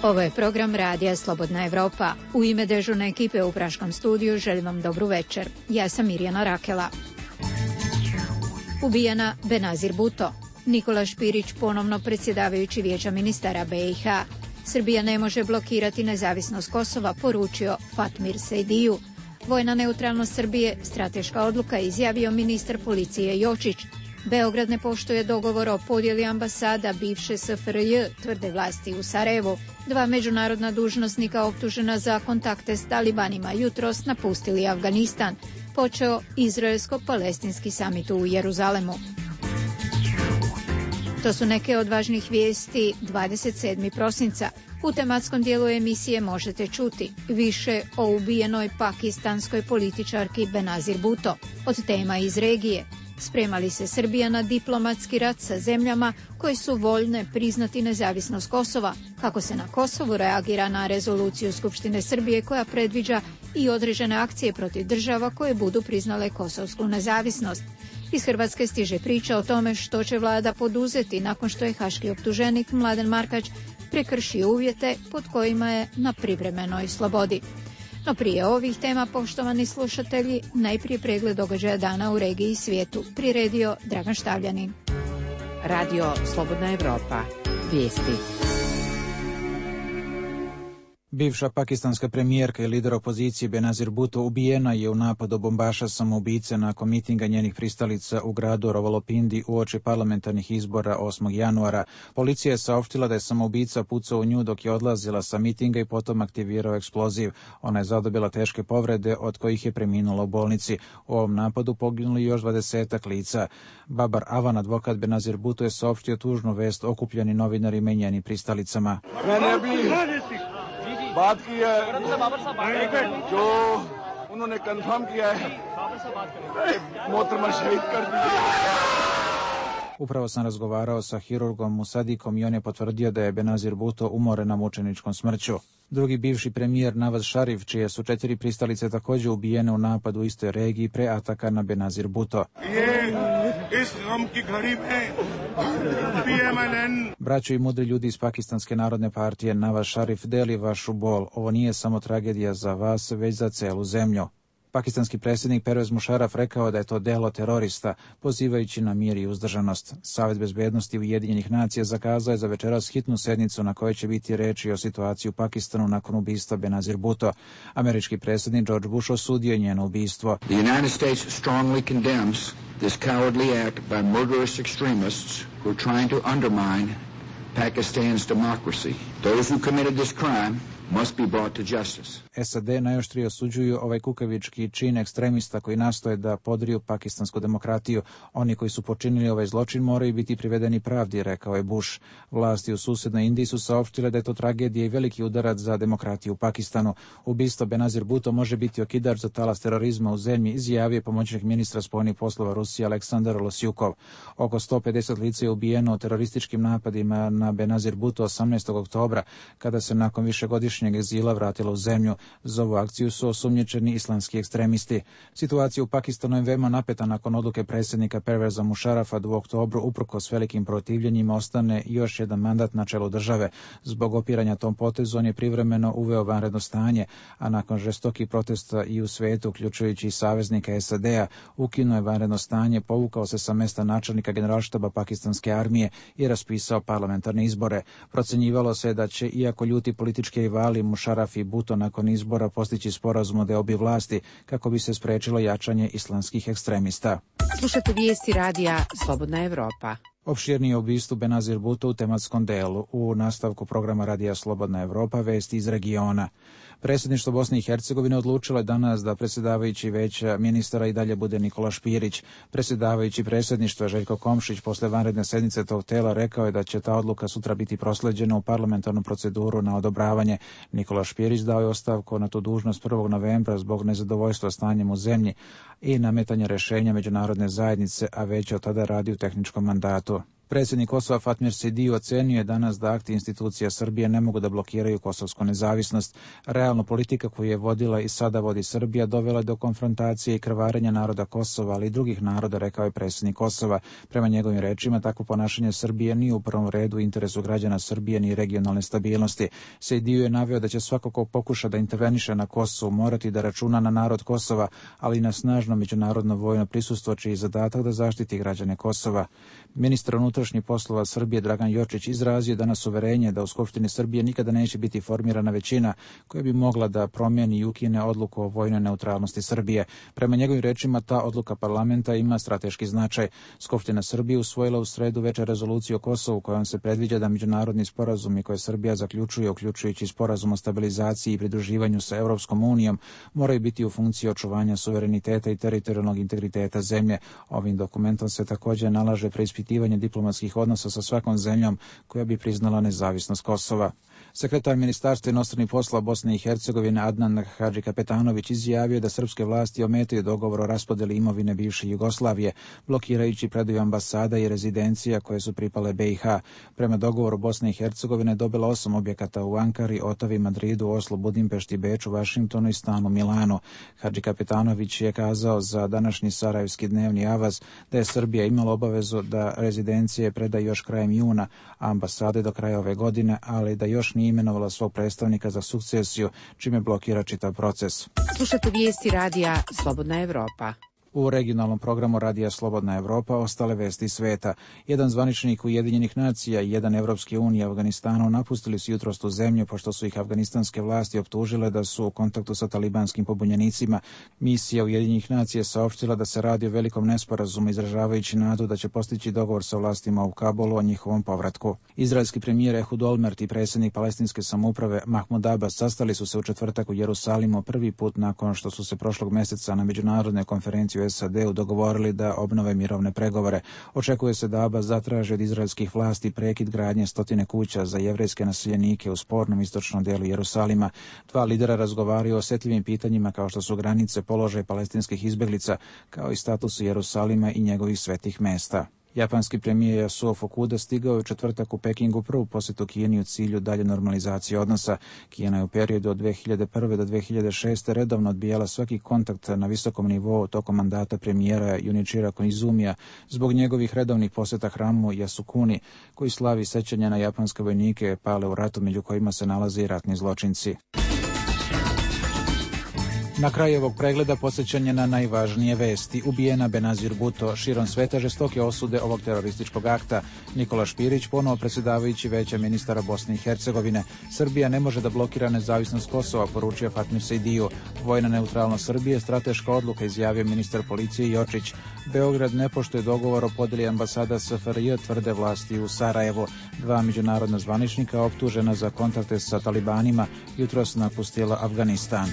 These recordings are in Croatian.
Ovo je program Radija Slobodna Evropa. U ime dežurne ekipe u Praškom studiju želim vam dobru večer. Ja sam Mirjana Rakela. Ubijena Benazir Bhutto. Nikola Špirić ponovno predsjedavajući Vijeća ministara BiH. Srbija ne može blokirati nezavisnost Kosova, poručio Fatmir Sejdiju. Vojna neutralnost Srbije, strateška odluka, izjavio ministar policije Jočić. Beograd ne poštuje dogovor o podjeli ambasada bivše SFRJ, tvrde vlasti u Sarajevu. 2 međunarodna dužnosnika optužena za kontakte s talibanima jutros napustili Afganistan. Počeo izraelsko-palestinski samit u Jeruzalemu. To su neke od važnih vijesti 27. prosinca. U tematskom dijelu emisije možete čuti više o ubijenoj pakistanskoj političarki Benazir Bhutto, od tema iz regije. Sprema li se Srbija na diplomatski rat sa zemljama koje su voljne priznati nezavisnost Kosova, kako se na Kosovu reagira na rezoluciju Skupštine Srbije koja predviđa i određene akcije protiv država koje budu priznale kosovsku nezavisnost. Iz Hrvatske stiže priča o tome što će vlada poduzeti nakon što je haški optuženik Mladen Markač prekršio uvjete pod kojima je na privremenoj slobodi. No prije ovih tema, poštovani slušatelji, najprije pregled događaja dana u regiji i svijetu. Priredio Dragan Štavljanin. Radio Slobodna Evropa. Vijesti. Bivša pakistanska premijerka i lider opozicije Benazir Bhutto ubijena je u napadu bombaša samoubice nakon mitinga njenih pristalica u gradu Rawalpindi uoči parlamentarnih izbora 8. januara. Policija je saopštila da je samoubica pucao u nju dok je odlazila sa mitinga i potom aktivirao eksploziv. Ona je zadobila teške povrede, od kojih je preminula u bolnici. U ovom napadu poginuli još 20 lica. Babar Avan, advokat Benazir Bhutto, je saopštio tužnu vest okupljeni novinarima i njenim pristalicama. बात की है जो उन्होंने कंफर्म किया है मोहतरमा शहीद कर दिया. Upravo sam razgovarao sa hirurgom Musadikom i on je potvrdio da je Benazir Bhutto umorena mučeničkom smrću. Drugi bivši premijer Nawaz Sharif, čije su 4 pristalice također ubijene u napadu u istoj regiji pre ataka na Benazir Bhutto. Braćo i mudri ljudi iz Pakistanske narodne partije, Nawaz Sharif deli vašu bol. Ovo nije samo tragedija za vas, već za celu zemlju. Pakistanski predsjednik Pervez Musharraf rekao da je to delo terorista, pozivajući na mir i uzdržanost. Savet bezbednosti Ujedinjenih nacija zakazao je za večeras hitnu sednicu na kojoj će biti reči o situaciji u Pakistanu nakon ubistva Benazir Bhutto. Američki predsjednik George Bush osudio je njeno ubistvo. The United States strongly condemns this cowardly act by murderous extremists who are trying to undermine Pakistan's democracy. Those who committed this crime must be brought to justice. SAD najoštrije osuđuju ovaj kukavički čin ekstremista koji nastoje da podriju pakistansku demokratiju. Oni koji su počinili ovaj zločin moraju biti privedeni pravdi, rekao je Bush. Vlasti u susednoj Indiji su saopštile da je to tragedija i veliki udarac za demokratiju u Pakistanu. Ubistvo Benazir Bhutto može biti okidač za talas terorizma u zemlji, izjavio je pomoćnik ministra spoljnih poslova Rusije Aleksandar Losyukov. Oko 150 lica je ubijeno u terorističkim napadima na Benazir Bhutto 18. oktobra, kada se nakon višegodišnjeg egzila vratila u zemlju. Za ovu akciju su osumnjičeni islamski ekstremisti. Situacija u Pakistanu je veoma napeta nakon odluke predsjednika Perveza Musharrafa da u oktobru, uprkos velikim protivljenjima, ostane još jedan mandat na čelu države. Zbog opiranja tom potezu on je privremeno uveo vanredno stanje, a nakon žestokih protesta i u svijetu, uključujući i saveznika SAD-a, ukinuo je vanredno stanje, povukao se sa mesta načelnika generalštaba pakistanske armije i raspisao parlamentarne izbore. Procenjivalo se da će, iako ljuti politički rivali Musharraf i Bhutto nakon izbora postići sporazum o deobi vlasti kako bi se sprečilo jačanje islamskih ekstremista. Slušate vijesti radija Slobodna Evropa. Opširnije ubistvo Benazir Bhutto u tematskom delu. U nastavku programa Radija Slobodna Evropa vesti iz regiona. Predsjedništvo Bosne i Hercegovine odlučilo je danas da predsjedavajući Vijeća ministara i dalje bude Nikola Špirić. Predsjedavajući predsjedništva Željko Komšić posle vanredne sednice tog tela rekao je da će ta odluka sutra biti prosleđena u parlamentarnu proceduru na odobravanje. Nikola Špirić dao je ostavku na tu dužnost 1. novembra zbog nezadovoljstva stanjem u zemlji i nametanja rješenja međunarodne zajednice, a već od tada radi u tehničkom mandatu. Predsjednik Kosova Fatmir Seidiju ocenio je danas da akti institucija Srbije ne mogu da blokiraju kosovsku nezavisnost. Realno politika koju je vodila i sada vodi Srbija dovela do konfrontacije i krvarenja naroda Kosova, ali i drugih naroda, rekao je predsjednik Kosova. Prema njegovim rečima, takvo ponašanje Srbije nije u prvom redu u interesu građana Srbije ni regionalne stabilnosti. Seidiju je naveo da će svako ko pokuša da interveniše na Kosovu morati da računa na narod Kosova, ali i na snažno međunarodno vojno prisustvo, čiji je zadatak da zaštiti građane Kosova. Ministar unutrašnjih poslova Srbije Dragan Jočić izrazio danas uverenje da u Skupštini Srbije nikada neće biti formirana većina koja bi mogla da promijeni i ukine odluku o vojnoj neutralnosti Srbije. Prema njegovim rečima, ta odluka parlamenta ima strateški značaj. Skupština Srbije usvojila u sredu večer rezoluciju o Kosovu kojom se predviđa da međunarodni sporazumi koje Srbija zaključuje, uključujući sporazum o stabilizaciji i pridruživanju sa Europskom unijom, moraju biti u funkciji očuvanja suvereniteta i teritorijalnog integriteta zemlje. Ovim dokumentom se također nalaže preispitivanje diplomatskih odnosa sa svakom zemljom koja bi priznala nezavisnost Kosova. Sekretar Ministarstva inostranih poslova Bosne i Hercegovine Adnan Hadžikapetanović izjavio da srpske vlasti ometaju dogovor o raspodeli imovine bivše Jugoslavije, blokirajući predaju ambasada i rezidencija koje su pripale BiH. Prema dogovoru Bosne i Hercegovine dobila 8 objekata u Ankari, Otavi, Madridu, Oslu, Budimpešti, Beču, Vašingtonu i stanu Milanu. Hadžikapetanović je kazao za današnji sarajevski dnevni avaz da je Srbija imala obavezu da rezidencije preda još krajem juna, a ambasade do kraja ove godine, ali da još nije imenovala svog predstavnika za sukcesiju, čime blokira čitav proces. Slušate vijesti radija Slobodna Evropa. U regionalnom programu Radija Slobodna Evropa ostale vesti sveta. Jedan zvaničnik Ujedinjenih nacija i jedan Evropske unije Afganistanu napustili su jutros tu zemlju pošto su ih afganistanske vlasti optužile da su u kontaktu sa talibanskim pobunjenicima. Misija Ujedinjenih nacija saopštila da se radi o velikom nesporazumu, izražavajući nadu da će postići dogovor sa vlastima u Kabulu o njihovom povratku. Izraelski premijer Ehud Olmert i predsjednik palestinske samouprave Mahmud Abbas sastali su se u četvrtak u Jerusalimu prvi put nakon što su se prošlog mjeseca na međunarodnoj konferenciji u SAD-u dogovorili da obnove mirovne pregovore. Očekuje se da Abbas zatraži od izraelskih vlasti prekid gradnje 100 kuća za jevrejske naseljenike u spornom istočnom delu Jerusalima. Dva lidera razgovaraju o osjetljivim pitanjima kao što su granice, položaj palestinskih izbjeglica, kao i statusu Jerusalima i njegovih svetih mesta. Japanski premijer Yasuo Fukuda stigao je u četvrtak u Pekingu prvu posjetu Kini u cilju dalje normalizacije odnosa. Kina je u periodu od 2001. do 2006. redovno odbijala svaki kontakt na visokom nivou tokom mandata premijera Junichira Koizumija zbog njegovih redovnih posjeta hramu Yasukuni, koji slavi sećanja na japanske vojnike pale u ratu, među kojima se nalaze i ratni zločinci. Na kraju ovog pregleda posjećanje na najvažnije vesti. Ubijena Benazir Bhutto, širom sveta žestoke osude ovog terorističkog akta. Nikola Špirić, ponovo predsjedavajući Vijeća ministara Bosne i Hercegovine. Srbija ne može da blokira nezavisnost Kosova, poručio Fatmir Seidiju. Vojna neutralnost Srbije, strateška odluka, izjavio ministar policije Jočić. Beograd ne poštuje dogovor o podjeli ambasada SFRJ, tvrde vlasti u Sarajevu. Dva međunarodna zvaničnika optužena za kontakte sa talibanima jutros napustila Afganistan.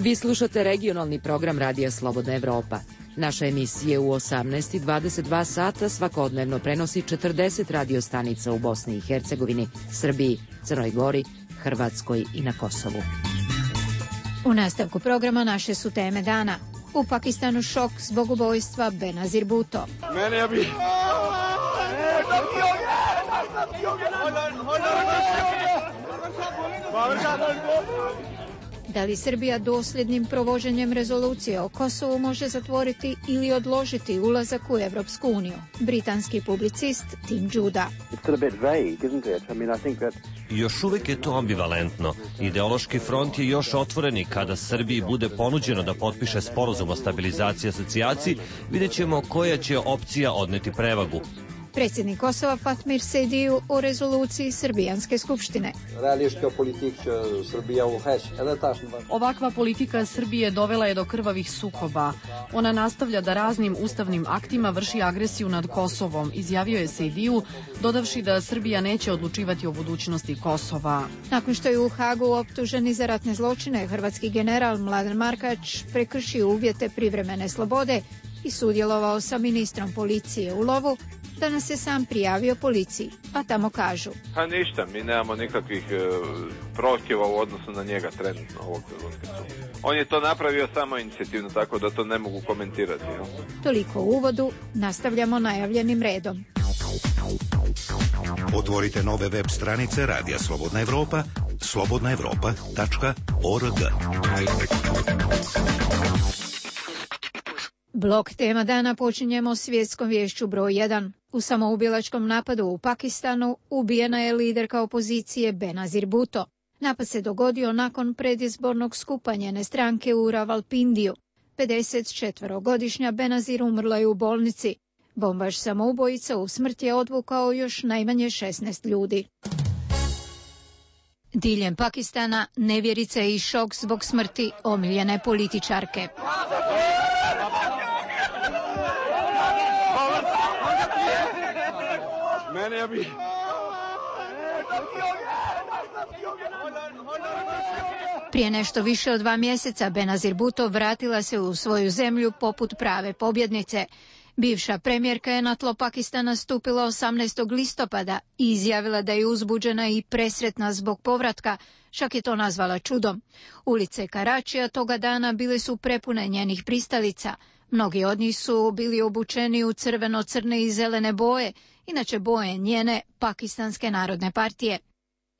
Vi slušate regionalni program Radija Slobodna Evropa. Naša emisija u 18 i 22 sata svakodnevno prenosi 40 radiostanica u Bosni i Hercegovini, Srbiji, Crnoj Gori, Hrvatskoj i na Kosovu. U nastavku programa naše su teme dana. U Pakistanu šok zbog ubojstva Benazir Bhutto. Da li Srbija dosljednim provođenjem rezolucije o Kosovu može zatvoriti ili odložiti ulazak u Evropsku uniju? Britanski publicist Tim Judah. Još uvijek je to ambivalentno. Ideološki front je još otvoreni. Kada Srbiji bude ponuđeno da potpiše sporazum o stabilizaciji i asocijaciji, vidjet ćemo koja će opcija odneti prevagu. Predsjednik Kosova Fatmir Seidiju o rezoluciji Srbijanske skupštine. Ovakva politika Srbije dovela je do krvavih sukoba. Ona nastavlja da raznim ustavnim aktima vrši agresiju nad Kosovom, izjavio je Seidiju, dodavši da Srbija neće odlučivati o budućnosti Kosova. Nakon što je u Hagu optuženi za ratne zločine, hrvatski general Mladen Markač prekršio uvjete privremene slobode i sudjelovao sa ministrom policije u lovu, danas se sam prijavio policiji, a tamo kažu: Pa ništa, mi nemamo nikakvih prohtjeva u odnosu na njega trenutno ovog trenutka. On je to napravio samo inicijativno, tako da to ne mogu komentirati. No? Toliko u uvodu, nastavljamo najavljenim redom. Otvorite nove web stranice Radija Slobodna Evropa, slobodnaevropa.org. Blok tema dana počinjemo svjetskom viješću broj 1. U samoubilačkom napadu u Pakistanu ubijena je liderka opozicije Benazir Bhutto. Napad se dogodio nakon predizbornog skupa njene stranke u Ravalpindiju. 54-godišnja Benazir umrla je u bolnici. Bombaš samoubojica u smrt je odvukao još najmanje 16 ljudi. Diljem Pakistana nevjerica i šok zbog smrti omiljene političarke. Prije nešto više od 2 mjeseca Benazir Bhutto vratila se u svoju zemlju poput prave pobjednice. Bivša premijerka je na tlo Pakistana stupila 18. listopada i izjavila da je uzbuđena i presretna zbog povratka, čak je to nazvala čudom. Ulice Karačija toga dana bile su prepune njenih pristalica. Mnogi od njih su bili obučeni u crveno, crne i zelene boje, inače boje njene Pakistanske narodne partije.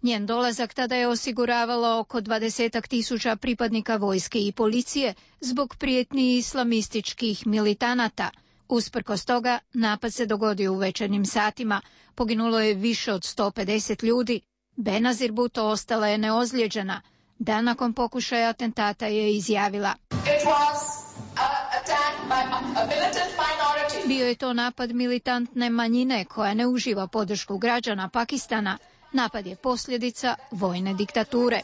Njen dolazak tada je osiguravalo oko 20.000 pripadnika vojske i policije zbog prijetnji islamističkih militanata. Usprkos toga, napad se dogodio u večernjim satima. Poginulo je više od 150 ljudi. Benazir Bhutto ostala je neozlijeđena. Dan nakon pokušaja atentata je izjavila: Bio je to napad militantne manjine koja ne uživa podršku građana Pakistana. Napad je posljedica vojne diktature.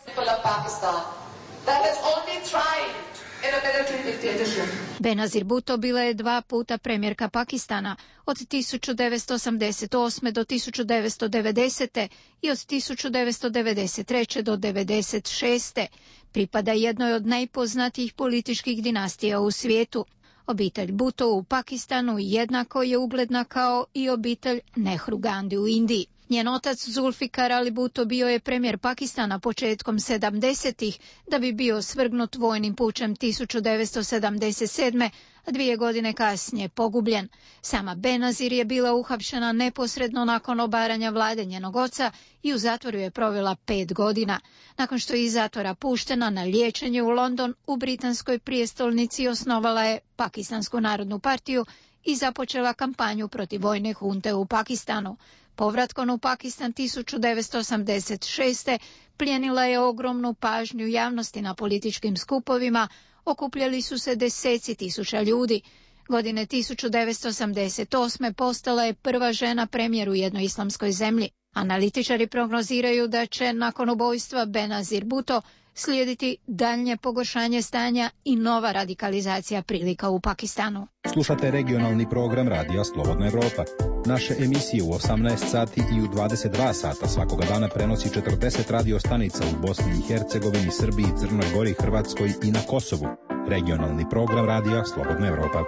Benazir Bhutto bila je 2 puta premijerka Pakistana, od 1988. do 1990. i od 1993. do 1996. Pripada jednoj od najpoznatijih političkih dinastija u svijetu. Obitelj Bhutto u Pakistanu jednako je ugledna kao i obitelj Nehru Gandhi u Indiji. Njen otac Zulfikar Ali Bhutto bio je premijer Pakistana početkom 70-ih da bi bio svrgnut vojnim pučem 1977. a 2 godine kasnije pogubljen. Sama Benazir je bila uhapšena neposredno nakon obaranja vlade njenog oca i u zatvoru je provela 5 godina. Nakon što je iz zatvora puštena na liječenje u London, u britanskoj prijestolnici osnovala je Pakistansku narodnu partiju i započela kampanju protiv vojne hunte u Pakistanu. Povratkom u Pakistan 1986. plijenila je ogromnu pažnju javnosti na političkim skupovima, okupljali su se deseci tisuća ljudi. Godine 1988. postala je prva žena premijer u jednoj islamskoj zemlji. Analitičari prognoziraju da će nakon ubojstva Benazir Bhutto slijediti daljnje pogoršanje stanja i nova radikalizacija prilika u Pakistanu. Slušate regionalni program Radija Slobodna Evropa. Naše emisije u 18 sati i u 22 sata svakoga dana prenosi 40 radio stanica u Bosni i Hercegovini, Srbiji, Crnoj Gori, Hrvatskoj i na Kosovu. Regionalni program Radija Slobodna Evropa.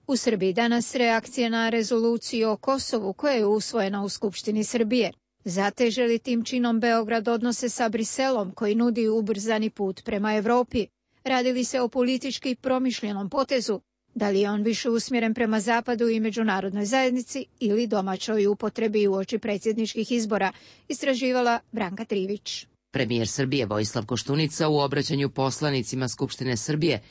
U Srbiji danas reakcije na rezoluciju o Kosovu koja je usvojena u Skupštini Srbije. Zateže li tim činom Beograd odnose sa Briselom koji nudi ubrzani put prema Evropi? Radi li se o politički promišljenom potezu? Da li je on više usmjeren prema Zapadu i međunarodnoj zajednici ili domaćoj upotrebi uoči predsjedničkih izbora? Istraživala Branka Trivić. Premijer Srbije Vojislav Koštunica u obraćanju poslanicima Skupštine Srbije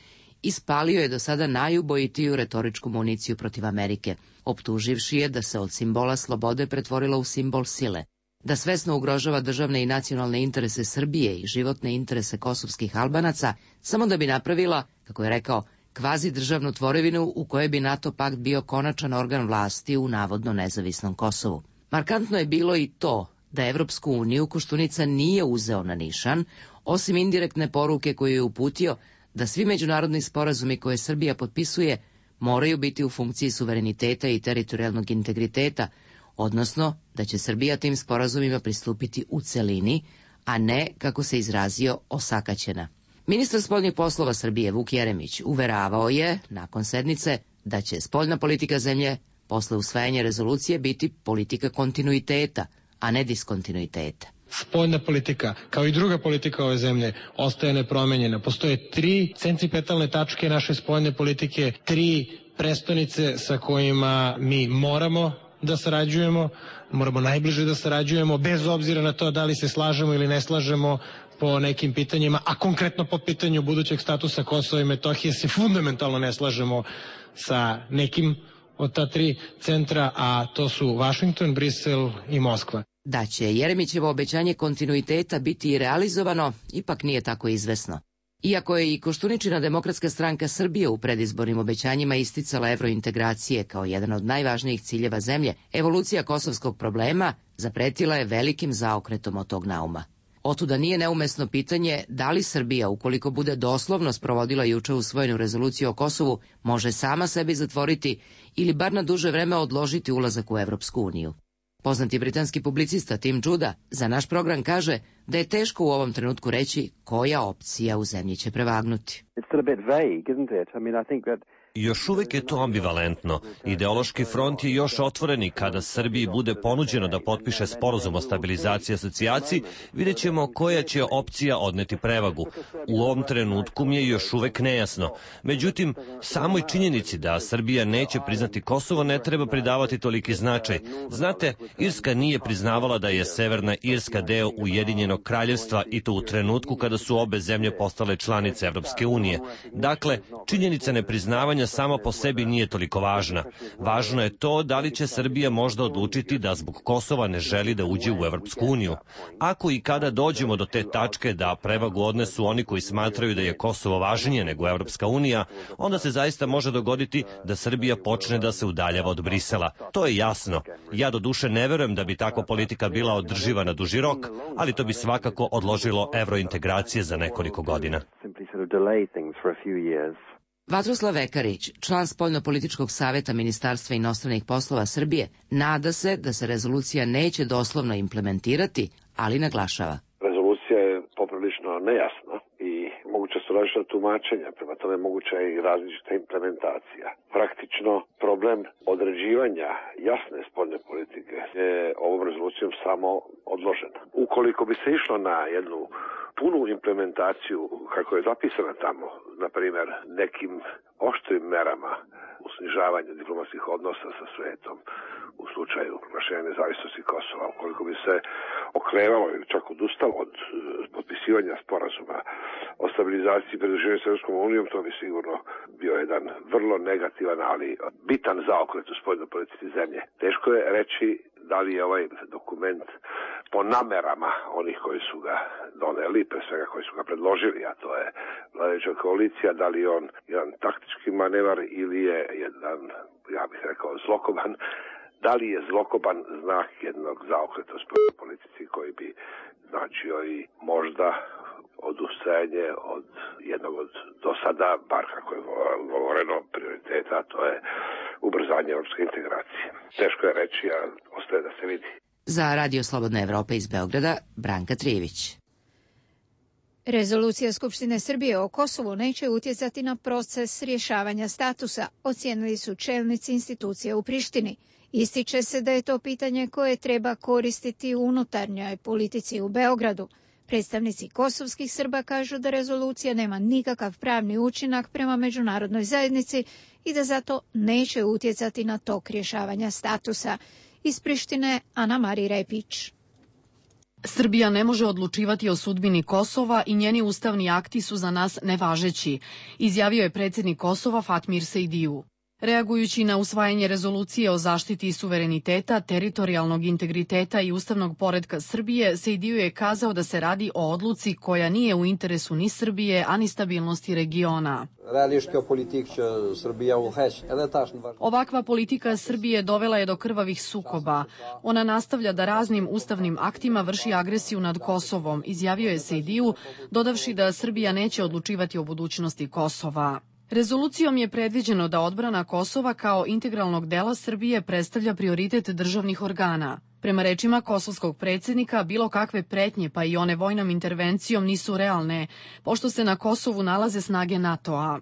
ispalio je do sada najubojitiju retoričku municiju protiv Amerike, optuživši je da se od simbola slobode pretvorila u simbol sile, da svesno ugrožava državne i nacionalne interese Srbije i životne interese kosovskih Albanaca, samo da bi napravila, kako je rekao, kvazi državnu tvorevinu u kojoj bi NATO pakt bio konačan organ vlasti u navodno nezavisnom Kosovu. Markantno je bilo i to da Evropsku uniju Koštunica nije uzeo na nišan, osim indirektne poruke koju je uputio da svi međunarodni sporazumi koje Srbija potpisuje moraju biti u funkciji suvereniteta i teritorijalnog integriteta, odnosno da će Srbija tim sporazumima pristupiti u celini, a ne, kako se izrazio, osakaćena. Ministar spoljnih poslova Srbije Vuk Jeremić uveravao je, nakon sednice, da će spoljna politika zemlje posle usvajanja rezolucije biti politika kontinuiteta, a ne diskontinuiteta. Spoljna politika, kao i druga politika ove zemlje, ostaje nepromenjena. Postoje 3 centripetalne tačke naše spoljne politike, 3 prestonice sa kojima mi moramo da sarađujemo, moramo najbliže da sarađujemo, bez obzira na to da li se slažemo ili ne slažemo po nekim pitanjima, a konkretno po pitanju budućeg statusa Kosova i Metohije se fundamentalno ne slažemo sa nekim od ta 3 centra, a to su Vašington, Brisel i Moskva. Da će Jeremićevo obećanje kontinuiteta biti i realizovano, ipak nije tako izvesno. Iako je i Koštuničina Demokratska stranka Srbije u predizbornim obećanjima isticala evrointegracije kao jedan od najvažnijih ciljeva zemlje, evolucija kosovskog problema zapretila je velikim zaokretom od tog nauma. Otuda nije neumesno pitanje da li Srbija, ukoliko bude doslovno sprovodila juče usvojenu rezoluciju o Kosovu, može sama sebi zatvoriti ili bar na duže vreme odložiti ulazak u Evropsku uniju. Poznati britanski publicista Tim Judah za naš program kaže da je teško u ovom trenutku reći koja opcija u zemlji će prevagnuti. Još uvijek je to ambivalentno. Ideološki front je još otvoren i kada Srbiji bude ponuđeno da potpiše sporazum o stabilizaciji i asocijaciji, vidjet ćemo koja će opcija odneti prevagu. U ovom trenutku mi je još uvijek nejasno. Međutim, samoj činjenici da Srbija neće priznati Kosovo ne treba pridavati toliki značaj. Znate, Irska nije priznavala da je Severna Irska deo Ujedinjenog kraljevstva i to u trenutku kada su obe zemlje postale članice Evropske unije. Dakle, činjenica nepriznavanja sama po sebi nije toliko važna. Važno je to da li će Srbija možda odlučiti da zbog Kosova ne želi da uđe u Evropsku uniju. Ako i kada dođemo do te tačke da prevagu odnesu oni koji smatraju da je Kosovo važnije nego Evropska unija, onda se zaista može dogoditi da Srbija počne da se udaljava od Brisela. To je jasno. Ja doduše ne verujem da bi takva politika bila održiva na duži rok, ali to bi svakako odložilo evrointegracije za nekoliko godina. Vatroslav Vekarić, član Spoljnopolitičkog saveta Ministarstva inostranih poslova Srbije, nada se da se rezolucija neće doslovno implementirati, ali naglašava. Rezolucija je poprilično nejasna i moguće su različita tumačenja, prema tome moguća je i različita implementacija. Praktično problem određivanja jasne spoljne politike je ovom rezolucijom samo odložen. Ukoliko bi se išlo na jednu punu implementaciju kako je zapisana tamo, na primjer nekim oštrim merama u snižavanju diplomatskih odnosa sa svetom u slučaju proglašenja nezavisnosti Kosova, ukoliko bi se okrevalo ili čak odustalo od potpisivanja sporazuma o stabilizaciji i pridruživanju s Evropskom unijom, to bi sigurno bio jedan vrlo negativan, ali bitan zaokret u spoljnoj politici zemlje. Teško je reći da li je ovaj dokument po namerama onih koji su ga doneli, pre svega koji su ga predložili, a to je vladajuća koalicija, da li je on jedan taktički manevar ili je jedan, ja bih rekao, zlokoban, da li je zlokoban znak jednog zaokreta u spoljnoj politici koji bi značio i možda odustajanje od jednog od do sada, bar kako je govoreno, prioriteta, a to je ubrzanje evropske integracije. Teško je reći, a ostaje da se vidi. Za Radio Slobodna Evropa iz Beograda, Branka Trijević. Rezolucija Skupštine Srbije o Kosovu neće utjecati na proces rješavanja statusa, ocijenili su čelnici institucija u Prištini. Ističe se da je to pitanje koje treba koristiti u unutarnjoj politici u Beogradu. Predstavnici kosovskih Srba kažu da rezolucija nema nikakav pravni učinak prema međunarodnoj zajednici i da zato neće utjecati na tok rješavanja statusa. Iz Prištine, Ana Mari Repić. Srbija ne može odlučivati o sudbini Kosova i njeni ustavni akti su za nas nevažeći, izjavio je predsjednik Kosova Fatmir Sejdiju. Reagujući na usvajanje rezolucije o zaštiti suvereniteta, teritorijalnog integriteta i ustavnog poretka Srbije, Sejdiju je kazao da se radi o odluci koja nije u interesu ni Srbije, a ni stabilnosti regiona. Ovakva politika Srbije dovela je do krvavih sukoba. Ona nastavlja da raznim ustavnim aktima vrši agresiju nad Kosovom, izjavio je Sejdiju, dodavši da Srbija neće odlučivati o budućnosti Kosova. Rezolucijom je predviđeno da odbrana Kosova kao integralnog dela Srbije predstavlja prioritet državnih organa. Prema rečima kosovskog predsjednika, bilo kakve pretnje, pa i one vojnom intervencijom, nisu realne, pošto se na Kosovu nalaze snage NATO-a.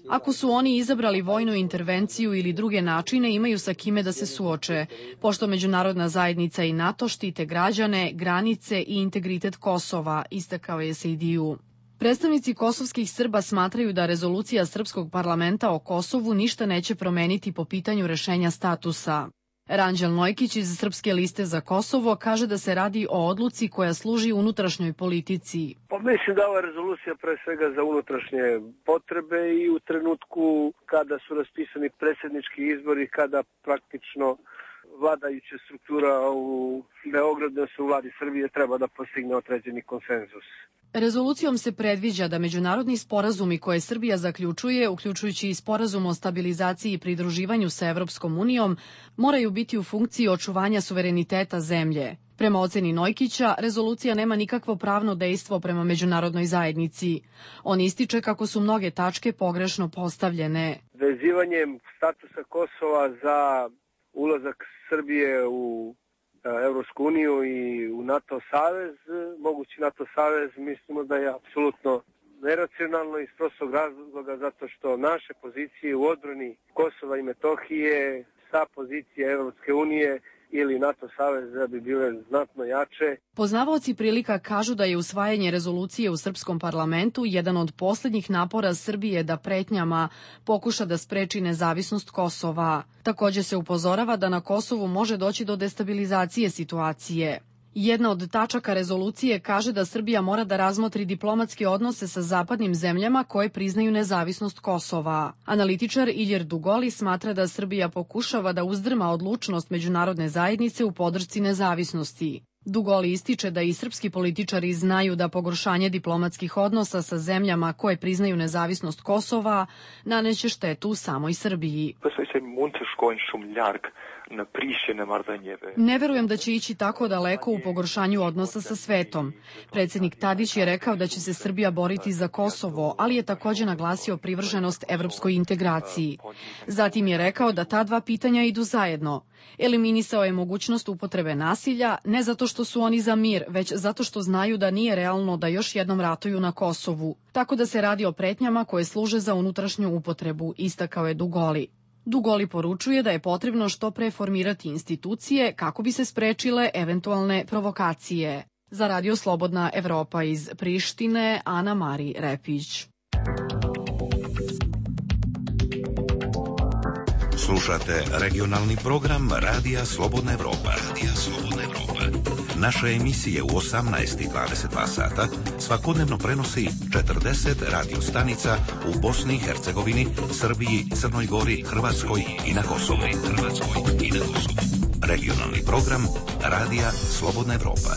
Ako su oni izabrali vojnu intervenciju ili druge načine, imaju sa kime da se suoče, pošto međunarodna zajednica i NATO štite građane, granice i integritet Kosova, istakao je Sejdiju. Predstavnici kosovskih Srba smatraju da rezolucija Srpskog parlamenta o Kosovu ništa neće promeniti po pitanju rešenja statusa. Ranđel Nojkić iz Srpske liste za Kosovo kaže da se radi o odluci koja služi unutrašnjoj politici. Pa mislim da ova rezolucija pre svega za unutrašnje potrebe i u trenutku kada su raspisani predsjednički izbori, kada praktično vladajuća struktura u Beogradu, u vladi Srbije, treba da postigne određeni konsenzus. Rezolucijom se predviđa da međunarodni sporazumi koje Srbija zaključuje, uključujući i sporazum o stabilizaciji i pridruživanju sa Evropskom unijom, moraju biti u funkciji očuvanja suvereniteta zemlje. Prema oceni Nojkića, rezolucija nema nikakvo pravno dejstvo prema međunarodnoj zajednici. On ističe kako su mnoge tačke pogrešno postavljene. Vezivanjem statusa Kosova za ulazak Srbije u Evropsku uniju i u NATO savez, mogući NATO savez, mislimo da je apsolutno neracionalno iz prostog razloga zato što naše pozicije u odbrani Kosova i Metohije sa pozicije Evropske unije ili NATO saveza bi bile znatno jače. Poznavaoci prilika kažu da je usvajanje rezolucije u srpskom parlamentu jedan od poslednjih napora Srbije da pretnjama pokuša da spreči nezavisnost Kosova. Takođe se upozorava da na Kosovu može doći do destabilizacije situacije. Jedna od tačaka rezolucije kaže da Srbija mora da razmotri diplomatske odnose sa zapadnim zemljama koje priznaju nezavisnost Kosova. Analitičar Iljer Dugoli smatra da Srbija pokušava da uzdrma odlučnost međunarodne zajednice u podršci nezavisnosti. Dugoli ističe da i srpski političari znaju da pogoršanje diplomatskih odnosa sa zemljama koje priznaju nezavisnost Kosova naneće štetu samoj Srbiji. Ne verujem da će ići tako daleko u pogoršanju odnosa sa svetom. Predsjednik Tadić je rekao da će se Srbija boriti za Kosovo, ali je takođe naglasio privrženost evropskoj integraciji. Zatim je rekao da ta dva pitanja idu zajedno. Eliminisao je mogućnost upotrebe nasilja, ne zato što su oni za mir, već zato što znaju da nije realno da još jednom ratuju na Kosovu. Tako da se radi o pretnjama koje služe za unutrašnju upotrebu, istakao je Dugoli. Dugoli poručuje da je potrebno što pre formirati institucije kako bi se sprečile eventualne provokacije. Za Radio Slobodna Evropa iz Prištine, Ana Mari Repić. Slušate regionalni program Radija Slobodna Evropa. Naše emisije u 18 i 22 sata svakodnevno prenosi 40 radio stanica u Bosni i Hercegovini, Srbiji, Crnoj Gori, Hrvatskoj i na Kosovu. Regionalni program Radija Slobodna Evropa.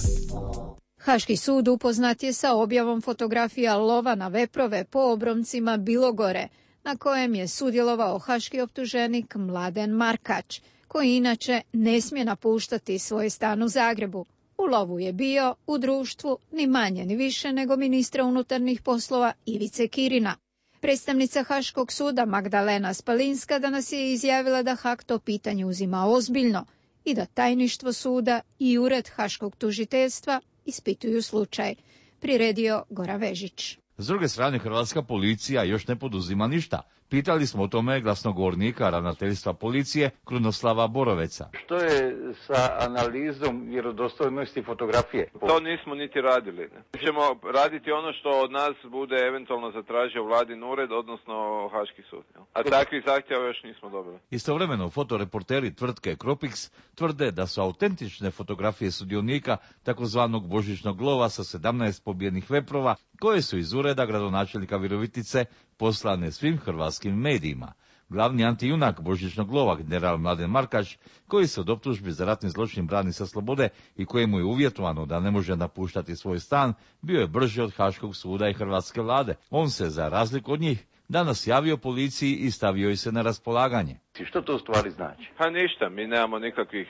Haški sud upoznat je sa objavom fotografija lova na veprove po obroncima Bilogore, na kojem je sudjelovao haški optuženik Mladen Markač, koji inače ne smije napuštati svoj stan u Zagrebu. U lovu je bio u društvu ni manje ni više nego ministra unutarnjih poslova Ivice Kirina. Predstavnica Haškog suda Magdalena Spalinska danas je izjavila da Hag to pitanje uzima ozbiljno i da tajništvo suda i ured Haškog tužiteljstva ispituju slučaj. Priredio Goran Vežić. S druge strane, hrvatska policija još ne poduzima ništa. Pitali smo o tome glasnogovornika ravnateljstva policije Krunoslava Boroveca. Što je sa analizom vjerodostojnosti fotografije? To nismo niti radili. Ne. Ćemo raditi ono što od nas bude eventualno zatražio vladin ured, odnosno Haški sud. A takvih zahtjeva još nismo dobili. Istovremeno, fotoreporteri tvrtke Kropix tvrde da su autentične fotografije sudionika takozvanog božićnog lova sa 17 pobijenih veprova, koje su iz ureda gradonačelnika Virovitice poslane svim hrvatskim medijima. Glavni antijunak božićnog lova, general Mladen Markač, koji se od optužbi za ratni zločin brani sa slobode i kojemu je uvjetovano da ne može napuštati svoj stan, bio je brži od Haškog suda i hrvatske vlade. On se, za razliku od njih, danas javio policiji i stavio ih se na raspolaganje. Što to u stvari znači? Pa ništa, mi nemamo nikakvih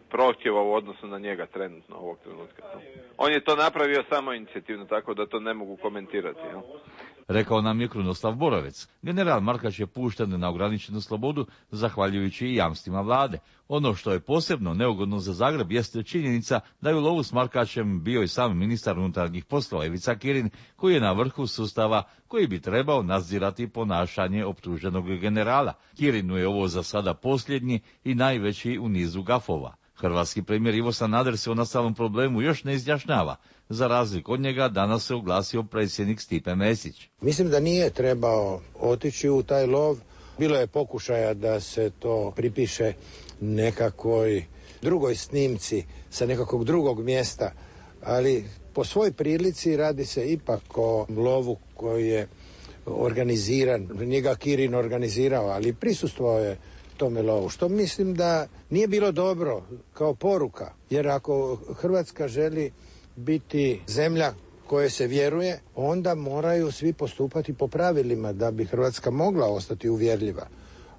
prohtjeva u odnosu na njega trenutno ovog trenutka. On je to napravio samo inicijativno, tako da to ne mogu komentirati. Jel? Rekao nam je Krunoslav Borovec. General Markač je pušten na ograničenu slobodu zahvaljujući i jamstvima vlade. Ono što je posebno neugodno za Zagreb jeste činjenica da je u lovu s Markačem bio i sam ministar unutarnjih poslova Ivica Kirin, koji je na vrhu sustava koji bi trebao nadzirati ponašanje optuženog generala. Kirinu je ovo za sada posljednji i najveći u nizu gafova. Hrvatski premijer Ivo Sanader se o nastalom problemu još ne izjašnjava. Za razliku od njega danas se oglasio predsjednik Stipe Mesić. Mislim da nije trebao otići u taj lov. Bilo je pokušaja da se to pripiše nekakvoj drugoj snimci sa nekakvog drugog mjesta, ali po svoj prilici radi se ipak o lovu koji je organiziran. Njega Kirin organizirao, ali prisustvovao je tome lovu, što mislim da nije bilo dobro kao poruka, jer ako Hrvatska želi biti zemlja koje se vjeruje, onda moraju svi postupati po pravilima da bi Hrvatska mogla ostati uvjerljiva.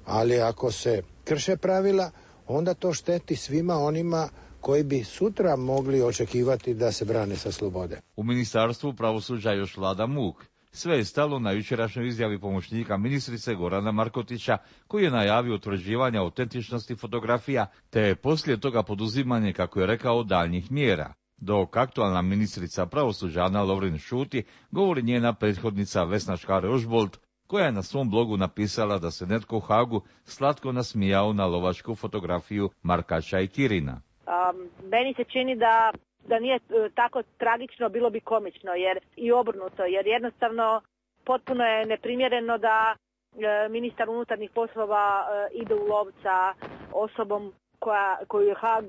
Ali ako se krše pravila, onda to šteti svima onima koji bi sutra mogli očekivati da se brane sa slobode. U Ministarstvu pravosuđa još vlada muk. Sve je stalo na jučerašnjoj izjavi pomoćnika ministrice Gorana Markotića, koji je najavio utvrđivanje autentičnosti fotografija, te je poslije toga poduzimanje, kako je rekao, daljnjih mjera. Dok aktualna ministrica pravosuđa Ana Lovrin šuti, govori njena prethodnica Vesna Škare-Ožbolt, koja je na svom blogu napisala da se netko u Hagu slatko nasmijao na lovačku fotografiju Markača i Kirina. Meni se čini da nije tako tragično, bilo bi komično, jer i obrnuto, jer jednostavno potpuno je neprimjereno da ministar unutarnjih poslova ide u lov sa osobom koju je Haag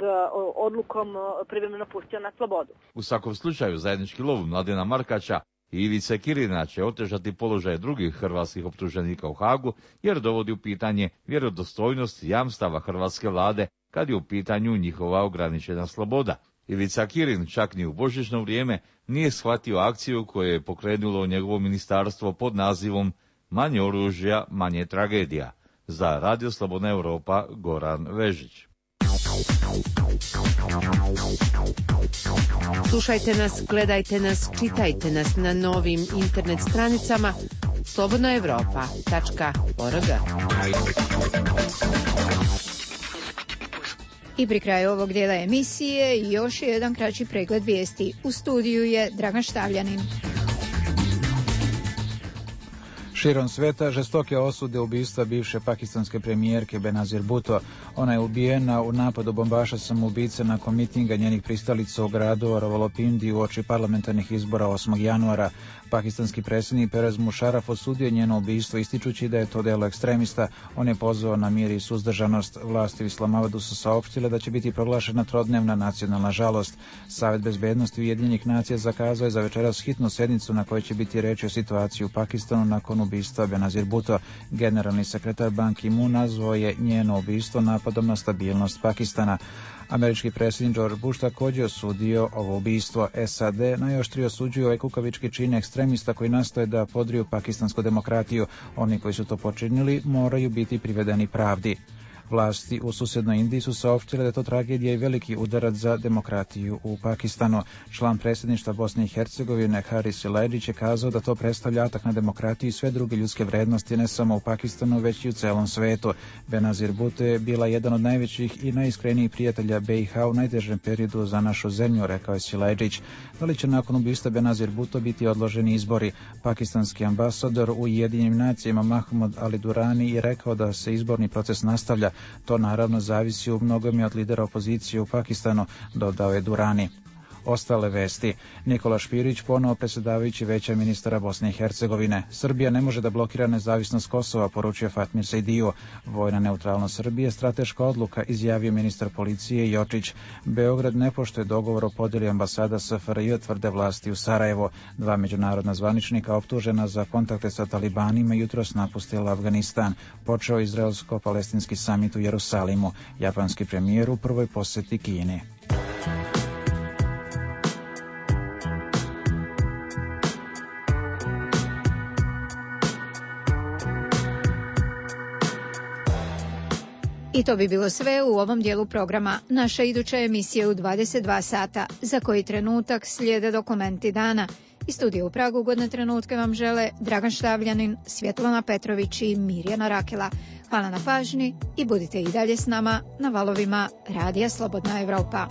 odlukom privremeno pustio na slobodu. U svakom slučaju zajednički lov Mladena Markača i Ivice Kirina će otežati položaj drugih hrvatskih optuženika u Hagu, jer dovodi u pitanje vjerodostojnost jamstava hrvatske vlade kad je u pitanju njihova ograničena sloboda. Ivica Kirin čak ni u božićno vrijeme nije shvatio akciju koju je pokrenulo njegovo ministarstvo pod nazivom Manje oružja, manje tragedija. Za Radio Slobodna Europa, Goran Vežić. Slušajte nas, gledajte nas, čitajte nas na novim internet stranicama slobodnaevropa.org. I pri kraju ovog dijela emisije još je jedan kraći pregled vijesti. U studiju je Dragan Štavljanin. Širom sveta žestoke osude ubistva bivše pakistanske premijerke Benazir Bhutto. Ona je ubijena u napadu bombaša samoubice nakon mitinga njenih pristalica u gradu Rawalpindi uoči parlamentarnih izbora 8. januara. Pakistanski predsjednik Perez Musharraf osudio njeno ubistvo ističući da je to delo ekstremista. On je pozvao na mir i suzdržanost. Vlasti u Islamabadu su saopštile da će biti proglašena trodnevna nacionalna žalost. Savet bezbednosti Ujedinjenih nacija zakazao je za večeras hitnu sjednicu na kojoj će biti reč o situaciji u Pakistanu nakon ubistva Benazir Bhutto. Generalni sekretar Ban Ki-moon nazvao je njeno ubistvo napadom na stabilnost Pakistana. Američki predsjednik George Bush također osudio ovo ubistvo. SAD najoštrije osuđuju ovaj kukavički čin ekstremista koji nastoje da podriju pakistansku demokratiju. Oni koji su to počinili moraju biti privedeni pravdi. Vlasti u susjednoj Indiji su saopštile da je to tragedija i veliki udarac za demokratiju u Pakistanu. Član predsjedništva Bosne i Hercegovine Haris Silajdžić je kazao da to predstavlja atak na demokratiju i sve druge ljudske vrednosti ne samo u Pakistanu već i u celom svetu. Benazir Bhutto je bila jedan od najvećih i najiskrenijih prijatelja BiH u najtežem periodu za našu zemlju, rekao je Silajdžić. Da li će nakon ubistva Benazir Bhutto biti odloženi izbori? Pakistanski ambasador u Ujedinjenim nacijama Mahmud Ali Durani je rekao da se izborni proces nastavlja. To naravno zavisi u mnogome od lidera opozicije u Pakistanu, dodao je Durani. Ostale vesti. Nikola Špirić, ponovo predsjedavajući Veća ministara Bosne i Hercegovine. Srbija ne može da blokira nezavisnost Kosova, poručio Fatmir Sejdijo. Vojna neutralnost Srbije, strateška odluka, izjavio ministar policije Jočić. Beograd ne poštuje dogovor o podjeli ambasada SFRJ, tvrde vlasti u Sarajevo. 2 međunarodna zvaničnika optužena za kontakte sa talibanima jutros napustila Afganistan. Počeo izraelsko-palestinski samit u Jerusalimu. Japanski premijer u prvoj posjeti Kini. I to bi bilo sve u ovom dijelu programa. Naša iduća emisija u 22 sata. Za koji trenutak slijede dokumenti dana. Iz studija u Pragu ugodne trenutke vam žele Dragan Štavljanin, Svjetlana Petrović i Mirjana Rakela. Hvala na pažnji i budite i dalje s nama na valovima Radija Slobodna Evropa.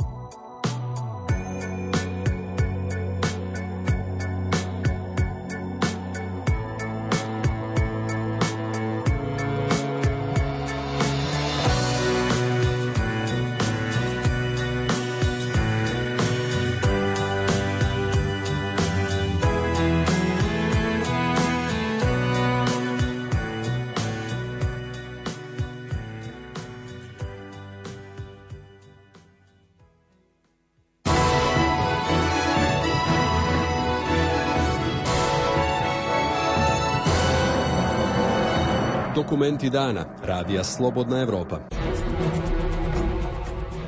Dokumenti dana Radija Slobodna Evropa.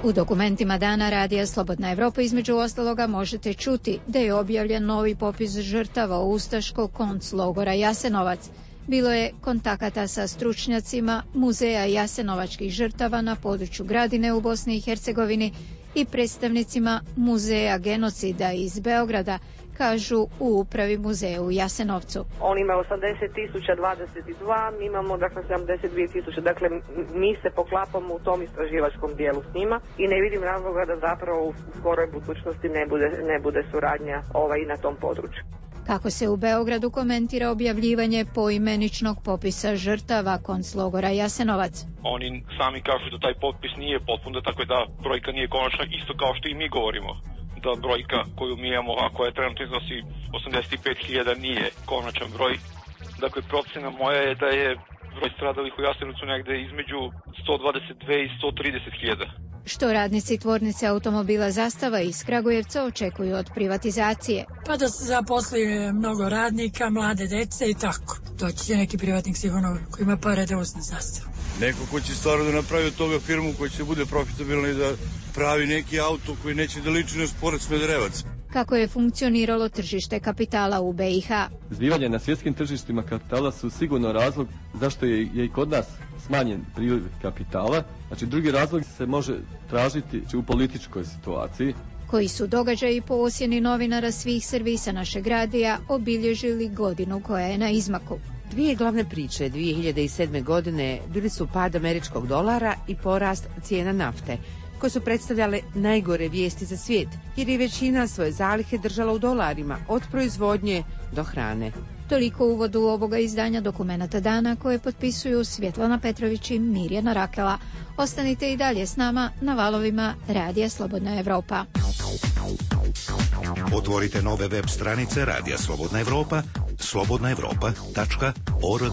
U dokumentima dana Radija Slobodna Evropa između ostaloga možete čuti da je objavljen novi popis žrtava ustaškog konclogora Jasenovac. Bilo je kontakata sa stručnjacima Muzeja jasenovačkih žrtava na području Gradine u Bosni i Hercegovini i predstavnicima Muzeja genocida iz Beograda, kažu u upravi muzeja u Jasenovcu. On ima 80.022, mi imamo 72.000, dakle mi se poklapamo u tom istraživačkom dijelu s njima i ne vidim razloga da zapravo u skoroj budućnosti ne bude suradnja i na tom području. Kako se u Beogradu komentira objavljivanje poimeničnog popisa žrtava konclogora Jasenovac? Oni sami kažu da taj popis nije potpun, tako da brojka nije konačna, isto kao što i mi govorimo. Da brojka koju mi imamo, a koja trenutno iznosi 85.000, nije konačan broj. Dakle, procena moja je da je broj stradalih u Jasenovcu negde između 122 i 130.000. Što radnici tvornice automobila Zastava iz Kragujevca očekuju od privatizacije? Pa da se zaposli mnogo radnika, mlade dece i tako. Doći će neki privatnik sigurno koji ima pare da uzme Zastavu. Neko ko će stvarno da napravi od toga firmu koja će bude profitabilna i da pravi neki auto koji neće da liči na Sport Smederevac. Kako je funkcioniralo tržište kapitala u BiH? Zbivanja na svjetskim tržištima kapitala su sigurno razlog zašto je i kod nas smanjen priliv kapitala. Znači, drugi razlog se može tražiti u političkoj situaciji. Koji su događaji po ocjeni novinara svih servisa našeg radija obilježili godinu koja je na izmaku? Dvije glavne priče 2007. godine bili su pad američkog dolara i porast cijena nafte, koje su predstavljale najgore vijesti za svijet, jer je većina svoje zalihe držala u dolarima, od proizvodnje do hrane. Toliko uvodu ovoga izdanja Dokumenata dana koje potpisuju Svjetlana Petrović i Mirjana Rakela. Ostanite i dalje s nama na valovima Radija Slobodna Evropa. Otvorite nove web stranice Radija Slobodna Evropa, slobodnaevropa.org.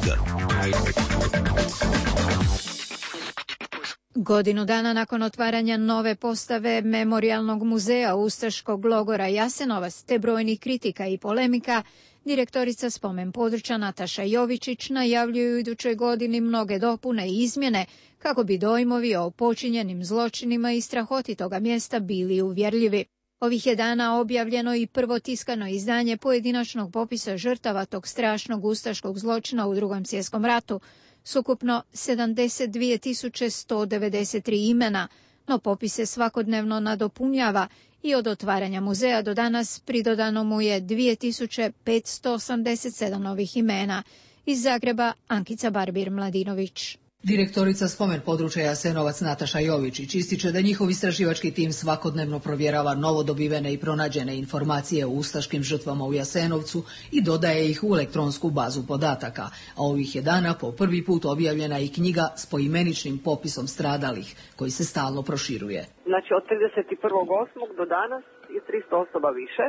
Godinu dana nakon otvaranja nove postave Memorijalnog muzeja ustaškog logora Jasenovac te brojnih kritika i polemika, direktorica spomen područja Nataša Jovičić najavljuju u idućoj godini mnoge dopune i izmjene kako bi dojmovi o počinjenim zločinima i strahoti toga mjesta bili uvjerljivi. Ovih je dana objavljeno i prvo tiskano izdanje pojedinačnog popisa žrtava tog strašnog ustaškog zločina u Drugom svjetskom ratu, s ukupno 72.193 imena, no popis se svakodnevno nadopunjava i od otvaranja muzeja do danas pridodano mu je 2.587 novih imena. Iz Zagreba Ankica Barbir-Mladinović. Direktorica spomen područja Jasenovac Nataša Jovičić ističe da njihov istraživački tim svakodnevno provjerava novodobivene i pronađene informacije o ustaškim žrtvama u Jasenovcu i dodaje ih u elektronsku bazu podataka, a ovih je dana po prvi put objavljena i knjiga s poimeničnim popisom stradalih, koji se stalno proširuje. Znači od 31.8. do danas je 300 osoba više.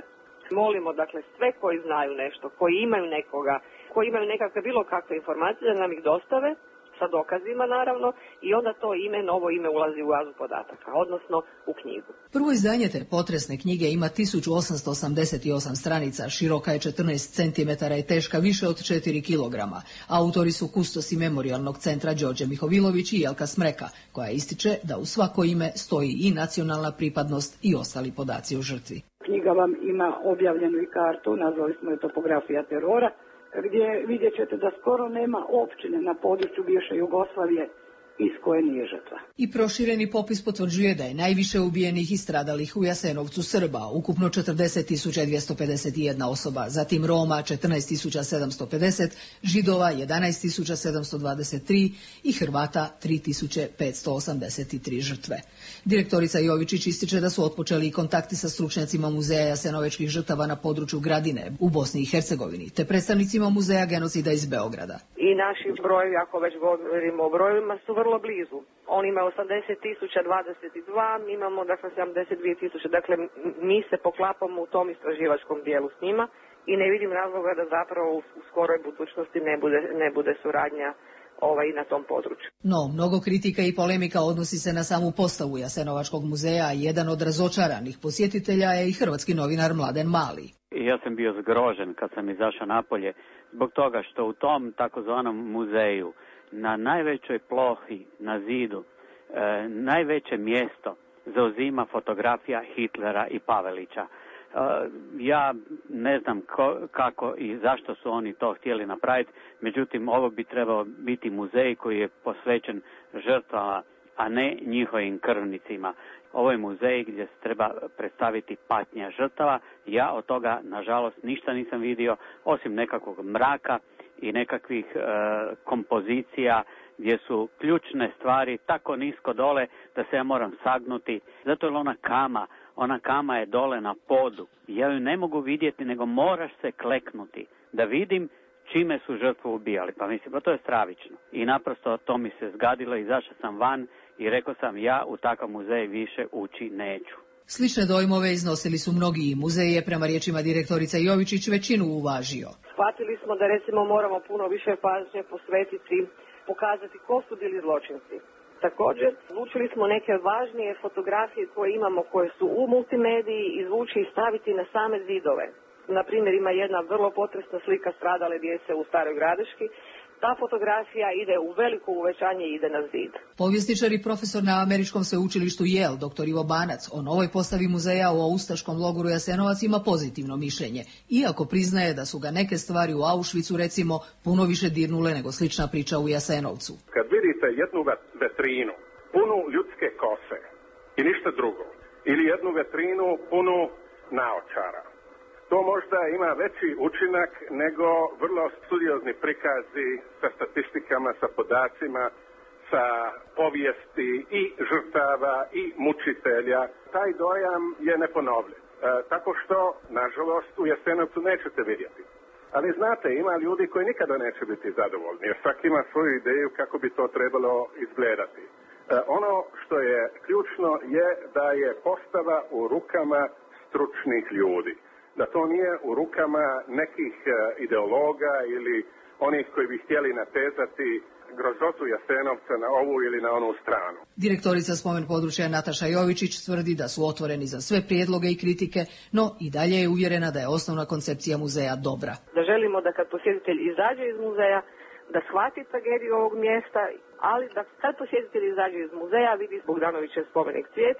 Molimo dakle sve koji znaju nešto, koji imaju nekoga, koji imaju nekakve bilo kakve informacije da nam ih dostave, sa dokazima naravno, i onda to novo ime ulazi u bazu podataka, odnosno u knjigu. Prvo izdanje te potresne knjige ima 1888 stranica, široka je 14 cm i teška više od 4 kg. Autori su kustosi Memorijalnog centra Đorđe Mihovilović i Jelka Smreka, koja ističe da u svako ime stoji i nacionalna pripadnost i ostali podaci o žrtvi. Knjiga vam ima objavljenu i kartu, nazvali smo je Topografija terora, gdje vidjet ćete da skoro nema općine na području bivše Jugoslavije iz koje nije žrtva. I prošireni popis potvrđuje da je najviše ubijenih i stradalih u Jasenovcu Srba, ukupno 40.251 osoba, zatim Roma 14.750, Židova 11.723 i Hrvata 3.583 žrtve. Direktorica Jovičić ističe da su otpočeli i kontakti sa stručnjacima Muzeja jasenovečkih žrtava na području Gradine u Bosni i Hercegovini, te predstavnicima Muzeja genocida iz Beograda. I naši brojevi, ako već govorimo o brojevima, su vrlo blizu. On ima 80.022, mi imamo dakle 72.000, dakle mi se poklapamo u tom istraživačkom dijelu s njima i ne vidim razloga da zapravo u skoroj budućnosti ne bude suradnja i na tom području. No, mnogo kritika i polemika odnosi se na samu postavu Jasenovačkog muzeja, a jedan od razočaranih posjetitelja je i hrvatski novinar Mladen Mali. Ja sam bio zgrožen kad sam izašao napolje zbog toga što u tom takozvanom muzeju na najvećoj plohi na zidu najveće mjesto zauzima fotografija Hitlera i Pavelića. Ja ne znam kako i zašto su oni to htjeli napraviti, međutim ovo bi trebao biti muzej koji je posvećen žrtvama, a ne njihovim krvnicima. Ovo je muzej gdje se treba predstaviti patnja žrtava. Ja od toga, nažalost, ništa nisam vidio, osim nekakvog mraka i nekakvih kompozicija gdje su ključne stvari tako nisko dole da se ja moram sagnuti. Zato je ona kama je dole na podu. Ja ju ne mogu vidjeti, nego moraš se kleknuti da vidim čime su žrtvu ubijali. Pa mislim, pa to je stravično. I naprosto to mi se zgadilo, izašao sam van i rekao sam ja u takav muzej više ući neću. Slične dojmove iznosili su mnogi i muzej je, prema riječima direktorica Jovičić, većinu uvažio. Shvatili smo da recimo moramo puno više pažnje posvetiti, pokazati ko su bili zločinci. Također, odlučili smo neke važnije fotografije koje imamo, koje su u multimediji, izvući i staviti na same zidove. Na primjer, ima jedna vrlo potresna slika stradale djece u Staroj Gradiški. Ta fotografija ide u veliko uvećanje i ide na zid. Povjesničar i profesor na Američkom sveučilištu Yale, dr. Ivo Banac, o novoj postavi muzeja u ustaškom logoru Jasenovac ima pozitivno mišljenje, iako priznaje da su ga neke stvari u Auschwitzu, recimo, puno više dirnule nego slična priča u Jasenovcu. Kad vidite jednu vetrinu punu ljudske kose i ništa drugo, ili jednu vetrinu punu naočara, to možda ima veći učinak nego vrlo studiozni prikazi sa statistikama, sa podacima, sa povijesti i žrtava i mučitelja. Taj dojam je neponovljiv. Tako što, nažalost, u Jasenovcu nećete vidjeti. Ali znate, ima ljudi koji nikada neće biti zadovoljni, jer svaki ima svoju ideju kako bi to trebalo izgledati. Ono što je ključno je da je postava u rukama stručnih ljudi. Da to nije u rukama nekih ideologa ili onih koji bi htjeli natezati grozotu Jasenovca na ovu ili na onu stranu. Direktorica spomen područja Nataša Jovičić tvrdi da su otvoreni za sve prijedloge i kritike, no i dalje je uvjerena da je osnovna koncepcija muzeja dobra. Da želimo da kad posjetitelj izađe iz muzeja, da shvati tragediju ovog mjesta, ali da kad posjetitelj izađe iz muzeja vidi Bogdanovićev spomenik Cvijet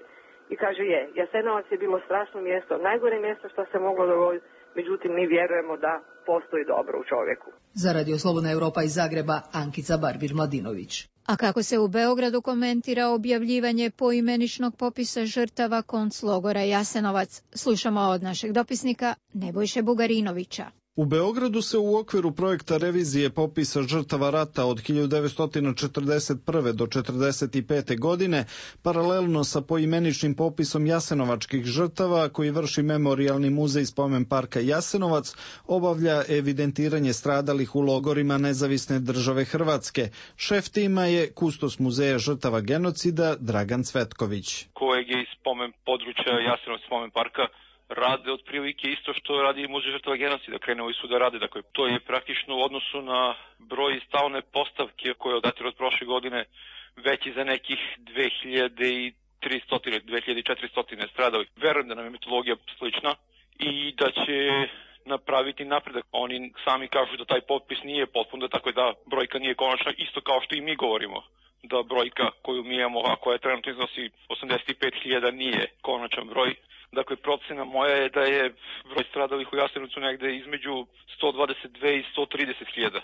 i kaže Jasenovac je bilo strašno mjesto, najgore mjesto što se moglo dogoditi, međutim mi vjerujemo da postoji dobro u čovjeku. Za Radio Slobodna Europa iz Zagreba, Ankica Barbir-Mladinović. A kako se u Beogradu komentira objavljivanje poimeničnog popisa žrtava konclogora Jasenovac, slušamo od našeg dopisnika Nebojše Bugarinovića. U Beogradu se u okviru projekta revizije popisa žrtava rata od 1941. do 1945. godine, paralelno sa poimeničnim popisom jasenovačkih žrtava koji vrši Memorijalni muzej Spomen parka Jasenovac, obavlja evidentiranje stradalih u logorima Nezavisne države Hrvatske. Šef tima je kustos muzeja žrtava genocida Dragan Cvetković. Kojeg je iz spomen područja Jasenovac Spomen parka rade otprilike isto što radi muzej žrtava genocida, krenuli su da rade. Dakle, to je praktično u odnosu na broj stalne postavke koje odatira od prošle godine veći za nekih 2400 stradali. Verujem da nam je metodologija slična i da će napraviti napredak. Oni sami kažu da taj popis nije potpun, da tako da brojka nije konačna, isto kao što i mi govorimo da brojka koju mi imamo, a koja trenutno iznosi 85.000, nije konačan broj. Dakle, procena moja je da je broj stradalih u Jasenovcu negde između 122 i 130.000.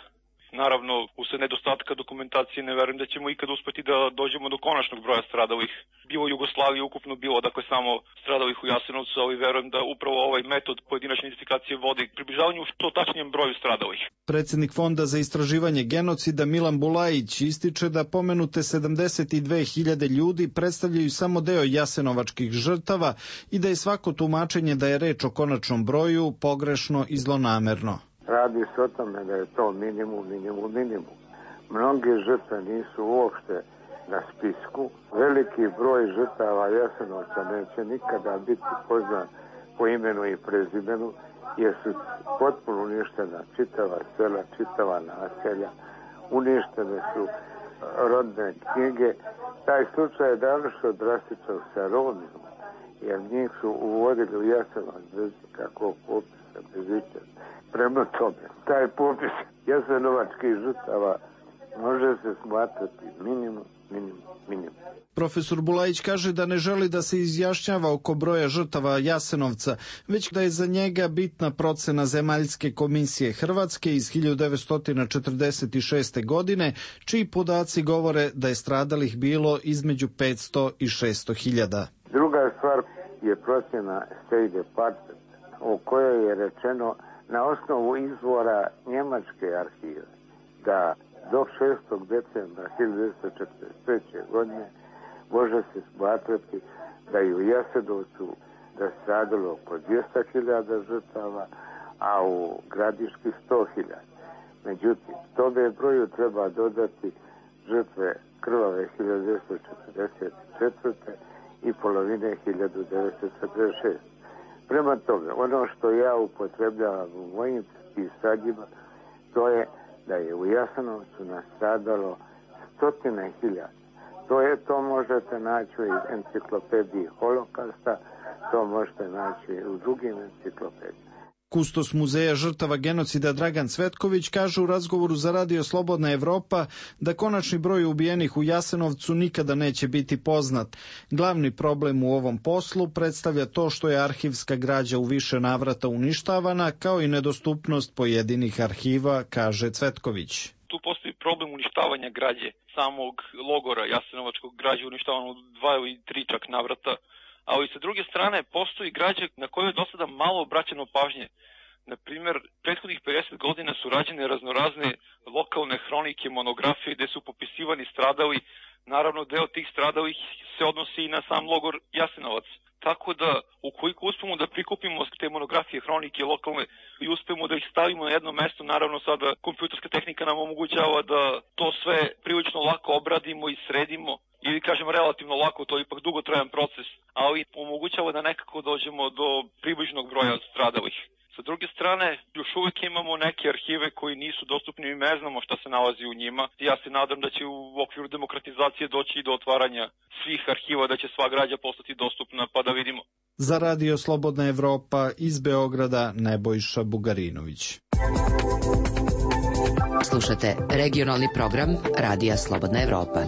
Naravno, usled nedostatka dokumentacije ne verujem da ćemo ikad uspeti da dođemo do konačnog broja stradalih. Bilo Jugoslavije ukupno bilo, dakle samo stradalih u Jasenovcu, ali verujem da upravo ovaj metod pojedinačne identifikacije vodi približavanju što tačnijem broju stradalih. Predsjednik Fonda za istraživanje genocida Milan Bulajić ističe da pomenute 72.000 ljudi predstavljaju samo deo jasenovačkih žrtava i da je svako tumačenje da je reč o konačnom broju pogrešno i zlonamerno. Radi se o tome da je to minimum. Mnoge žrtve nisu uopšte na spisku. Veliki broj žrtava Jasenovca neće nikada biti poznat po imenu i prezimenu, jer su potpuno uništena čitava sela, čitava naselja, uništene su rodne knjige. Taj slučaj je današnjo drastičan sa Romima, jer njih su uvodili u Jasenovac bez kakvog popisa, bez ičega. Prema tome, taj popis jasenovačkih žrtava može se smatrati minimum. Profesor Bulajić kaže da ne želi da se izjašnjava oko broja žrtava Jasenovca, već da je za njega bitna procena Zemaljske komisije Hrvatske iz 1946. godine, čiji podaci govore da je stradalih bilo između 500 i 600 hiljada. Druga stvar je procjena State Department, o kojoj je rečeno na osnovu izvora njemačke arhive da do 6. decembra 1943. godine može se smatrati da je u Jasenovcu da stradalo oko 200.000 žrtava, a u Gradiški 100.000. Međutim, tome broju treba dodati žrtve krvave 1944. i polovine 1946. Prema tome, ono što ja upotrebljavam u mojim pisanjima, to je da je u Jasenovcu nastradalo 100.000. To možete naći u enciklopediji Holokausta, to možete naći u drugim enciklopedijama. Kustos muzeja žrtava genocida Dragan Cvetković kaže u razgovoru za Radio Slobodna Evropa da konačni broj ubijenih u Jasenovcu nikada neće biti poznat. Glavni problem u ovom poslu predstavlja to što je arhivska građa u više navrata uništavana, kao i nedostupnost pojedinih arhiva, kaže Cvetković. Tu postoji problem uništavanja građe samog logora jasenovačkog. Građe uništavano u 2 ili 3 čak navrata, ali sa druge strane postoji građe na koju je do sada malo obraćeno pažnje. Na primjer, prethodnih 50 godina su rađene raznorazne lokalne hronike, monografije gde su popisivani stradali. Naravno, deo tih stradalih se odnosi i na sam logor Jasenovac. Tako da, ukoliko uspemo da prikupimo te monografije, hronike lokalne i uspemo da ih stavimo na jedno mesto, naravno sada kompjuterska tehnika nam omogućava da to sve prilično lako obradimo i sredimo, ili kažem relativno lako, to je ipak dugotrajan proces, ali omogućava da nekako dođemo do približnog broja stradalih. Sa druge strane, još uvijek imamo neke arhive koji nisu dostupni i ne znamo šta se nalazi u njima. Ja se nadam da će u okviru demokratizacije doći i do otvaranja svih arhiva, da će sva građa postati dostupna, pa da vidimo. Za Radio Slobodna Evropa iz Beograda Nebojša Bugarinović. Slušate regionalni program Radija Slobodna Evropa.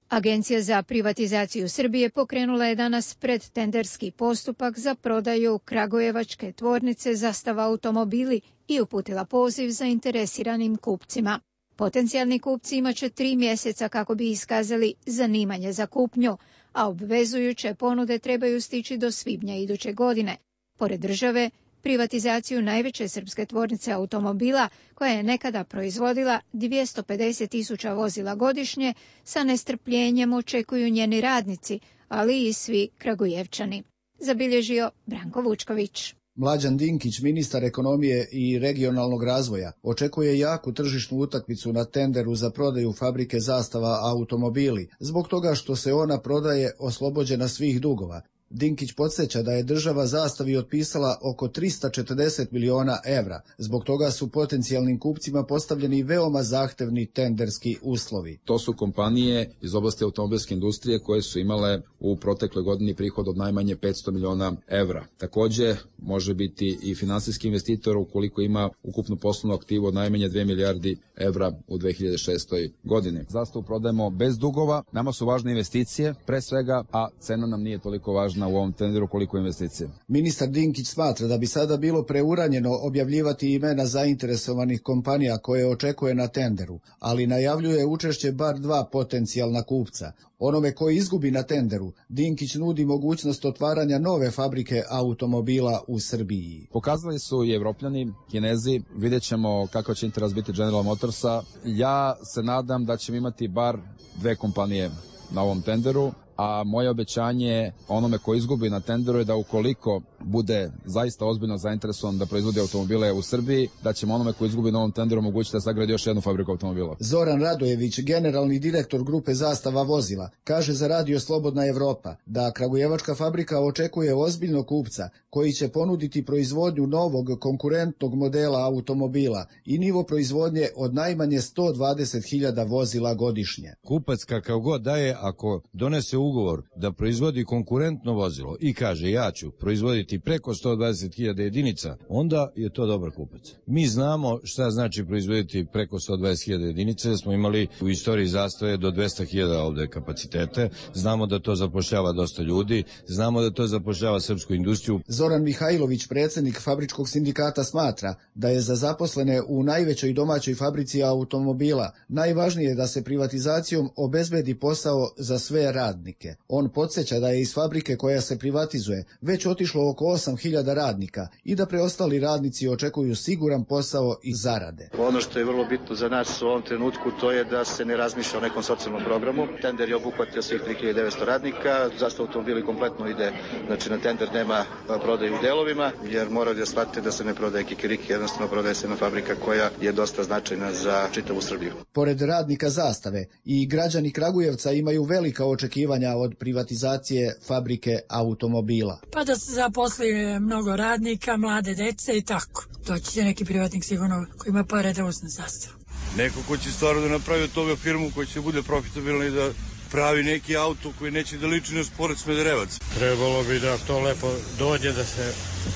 Agencija za privatizaciju Srbije pokrenula je danas predtenderski postupak za prodaju kragujevačke tvornice Zastava automobili i uputila poziv zainteresiranim kupcima. Potencijalni kupci imaće 3 mjeseca kako bi iskazali zanimanje za kupnju, a obvezujuće ponude trebaju stići do svibnja iduće godine. Pored države, privatizaciju najveće srpske tvornice automobila, koja je nekada proizvodila 250.000 vozila godišnje, sa nestrpljenjem očekuju njeni radnici, ali i svi Kragujevčani. Zabilježio Branko Vučković. Mlađan Dinkić, ministar ekonomije i regionalnog razvoja, očekuje jaku tržišnu utakmicu na tenderu za prodaju fabrike Zastava automobili, zbog toga što se ona prodaje oslobođena svih dugova. Dinkić podsjeća da je država Zastavi otpisala oko 340 miliona evra. Zbog toga su potencijalnim kupcima postavljeni veoma zahtevni tenderski uslovi. To su kompanije iz oblasti automobilske industrije koje su imale u protekloj godini prihod od najmanje 500 miliona evra. Također može biti i finansijski investitor ukoliko ima ukupnu poslovnu aktivu od najmanje 2 milijardi evra u 2006. godini. Zastavu prodajemo bez dugova, nama su važne investicije pre svega, a cena nam nije toliko važna zna u ovom tenderu koliko investicije. Ministar Dinkić smatra da bi sada bilo preuranjeno objavljivati imena zainteresovanih kompanija koje očekuje na tenderu, ali najavljuje učešće bar 2 potencijalna kupca. Onome koji izgubi na tenderu, Dinkić nudi mogućnost otvaranja nove fabrike automobila u Srbiji. Pokazali su i Evropljani, Kinezi, vidjet ćemo kako će interes biti General Motorsa. Ja se nadam da ćemo imati bar 2 kompanije na ovom tenderu, a moje obećanje onome ko izgubi na tenderu je da ukoliko bude zaista ozbiljno zainteresovan da proizvodi automobile u Srbiji, da ćemo onome ko izgubi na ovom tenderu omogućiti da sagradi još jednu fabriku automobila. Zoran Radojević, generalni direktor grupe Zastava vozila, kaže za Radio Slobodna Evropa da kragujevačka fabrika očekuje ozbiljnog kupca koji će ponuditi proizvodnju novog konkurentnog modela automobila i nivo proizvodnje od najmanje 120.000 vozila godišnje. Kupac kakav god da je, ako donese ugovor da proizvodi konkurentno vozilo i kaže ja ću proizvoditi preko 120.000 jedinica, onda je to dobar kupac. Mi znamo šta znači proizvoditi preko 120.000 jedinica, jer smo imali u istoriji Zastave do 200.000 ovde kapacitete, znamo da to zapošljava dosta ljudi, znamo da to zapošljava srpsku industriju. Zoran Mihajlović, predsjednik Fabričkog sindikata, smatra da je za zaposlene u najvećoj domaćoj fabrici automobila najvažnije da se privatizacijom obezbedi posao za sve radnike. On podsjeća da je iz fabrike koja se privatizuje već otišlo oko 8.000 radnika i da preostali radnici očekuju siguran posao i zarade. Ono što je vrlo bitno za nas u ovom trenutku to je da se ne razmišlja o nekom socijalnom programu. Tender je obuhvatio svih 3.900 radnika, zašto automobili kompletno ide, znači na tender nema prodaju u delovima, jer moraju da shvatite da se ne prodaje kikiriki, jednostavno prodaje se jedna fabrika koja je dosta značajna za čitavu Srbiju. Pored radnika Zastave i građani Kragujevca imaju velika očekivanja od privatizacije fabrike automobila. Pa da se zaposli mnogo radnika, mlade dece i tako. Doći će neki privatnik sigurno koji ima pare da uzme Zastavu. Neko ko će stvarno da napravi od toga firmu koja će bude profitabilna i da pravi neki auto koji neće da liči na Sport Smederevac. Trebalo bi da to lepo dođe, da se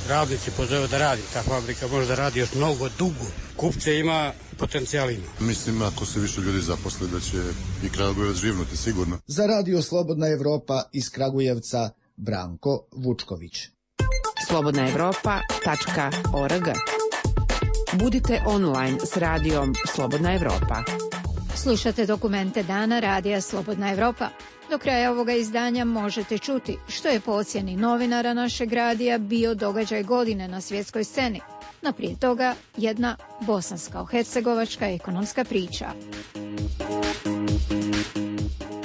radnici pozove da radi. Ta fabrika može da radi još mnogo dugo. Kupce ima, potencijal ima. Mislim, ako se više ljudi zaposle, da će i Kragujevac živnuti, sigurno. Za Radio Slobodna Evropa iz Kragujevca, Branko Vučković. slobodnaevropa.org. Budite online s radijom Slobodna Evropa. Slušate dokumente dana Radija Slobodna Evropa. Do kraja ovoga izdanja možete čuti što je po ocjeni novinara našeg radija bio događaj godine na svjetskoj sceni. No prije toga jedna bosansko-hercegovačka ekonomska priča.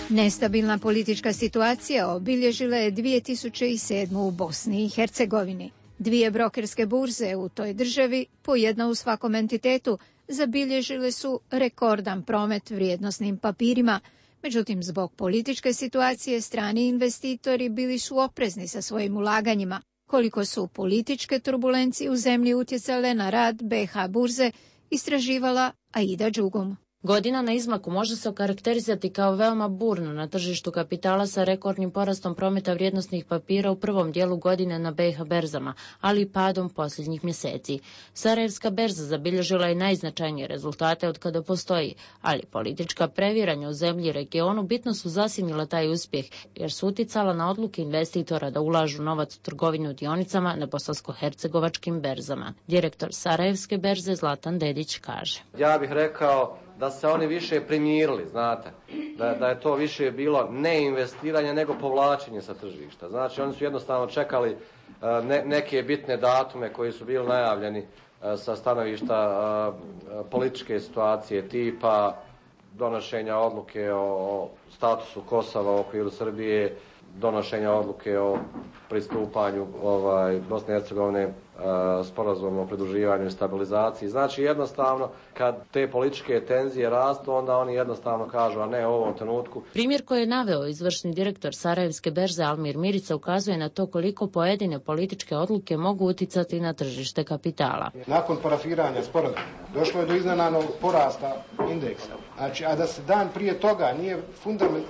Nestabilna politička situacija obilježila je 2007. u Bosni i Hercegovini. 2 brokerske burze u toj državi, po jedna u svakom entitetu, zabilježile su rekordan promet vrijednosnim papirima. Međutim, zbog političke situacije strani investitori bili su oprezni sa svojim ulaganjima. Koliko su političke turbulencije u zemlji utjecale na rad BH burze, istraživala Aida Đugum. Godina na izmaku može se okarakterizati kao veoma burno na tržištu kapitala sa rekordnim porastom prometa vrijednosnih papira u prvom dijelu godine na BiH berzama, ali i padom posljednjih mjeseci. Sarajevska berza zabilježila je najznačajnije rezultate od kada postoji, ali politička previranja u zemlji i regionu bitno su zasjenila taj uspjeh, jer su uticala na odluke investitora da ulažu novac u trgovinu dionicama na bosansko-hercegovačkim berzama. Direktor Sarajevske berze Zlatan Dedić kaže: Ja bih rekao da se oni više primirili, znate, da je to više bilo ne investiranje nego povlačenje sa tržišta. Znači oni su jednostavno čekali neke bitne datume koji su bili najavljeni sa stanovišta političke situacije, tipa donošenja odluke o statusu Kosova u okviru Srbije, donošenja odluke o pristupanju Bosne i Hercegovine sporazumom o pridruživanju i stabilizaciji. Znači jednostavno kad te političke tenzije rastu, onda oni jednostavno kažu, a ne u ovom trenutku. Primjer koji je naveo izvršni direktor Sarajevske berze Almir Mirica ukazuje na to koliko pojedine političke odluke mogu uticati na tržište kapitala. Nakon parafiranja sporazuma došlo je do iznenadnog porasta indeksa. Znači, a da se dan prije toga nije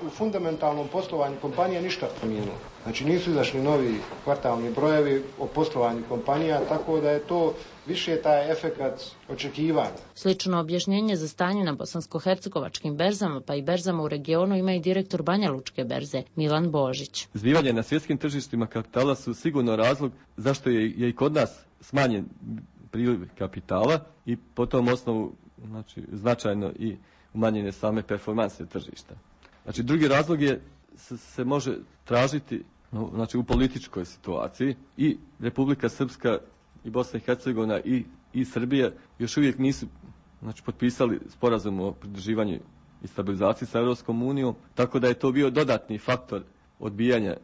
u fundamentalnom poslovanju kompanije ništa promijenilo. Znači nisu izašli novi kvartalni brojevi o poslovanju kompanija, tako da je to više taj efekat očekivanja. Slično objašnjenje za stanje na bosansko-hercegovačkim berzama pa i berzama u regionu ima i direktor Banja Lučke berze Milan Božić. Zbivanja na svjetskim tržištima kapitala su sigurno razlog zašto je i kod nas smanjen priliv kapitala i po tom osnovu značajno i umanjene same performanse tržišta. Znači drugi razlog se može tražiti u političkoj situaciji i Republika Srpska i Bosna i Hercegovina i Srbija još uvijek nisu potpisali sporazum o pridruživanju i stabilizaciji sa Europskom unijom, tako da je to bio dodatni faktor odbijanja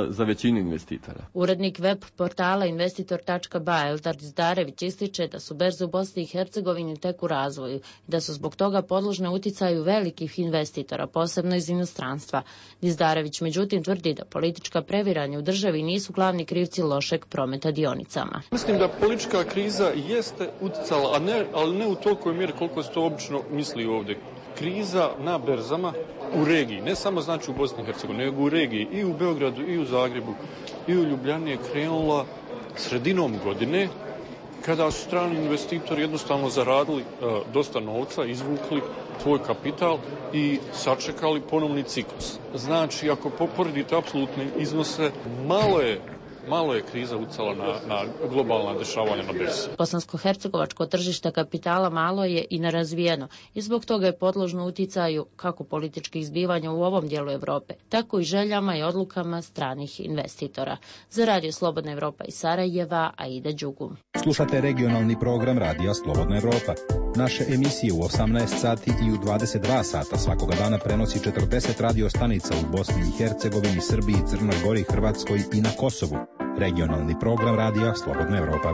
za većinu investitora. Urednik web portala investitor.ba Eldar Dizdarević ističe da su berze u Bosni i Hercegovini tek u razvoju i da su zbog toga podložne uticaju velikih investitora, posebno iz inostranstva. Dizdarević međutim tvrdi da politička previranja u državi nisu glavni krivci lošeg prometa dionicama. Mislim da politička kriza jeste uticala, ali ne u tolikoj mjeri koliko se to obično misli ovdje. Kriza na berzama u regiji, ne samo znači u Bosni i Hercegovini, nego u regiji i u Beogradu, i u Zagrebu, i u Ljubljani je krenula sredinom godine, kada su strani investitori jednostavno zaradili dosta novca, izvukli svoj kapital i sačekali ponovni ciklus. Znači, ako poredite apsolutne iznose, malo je kriza ucala na globalna dešavanja na berzi. Bosansko-hercegovačko tržište kapitala malo je i nerazvijeno i zbog toga je podložno uticaju kako političkih zbivanja u ovom dijelu Europe, tako i željama i odlukama stranih investitora. Za Radio Slobodna Evropa iz Sarajeva, Aida Đugum. Slušate regionalni program Radija Slobodna Evropa. Naše emisije u 18 sati i u 22 sata svakoga dana prenosi 40 radio stanica u Bosni i Hercegovini, Srbiji, Crnoj Gori, Hrvatskoj i na Kosovu. Regionalni program Radija Slobodna Evropa.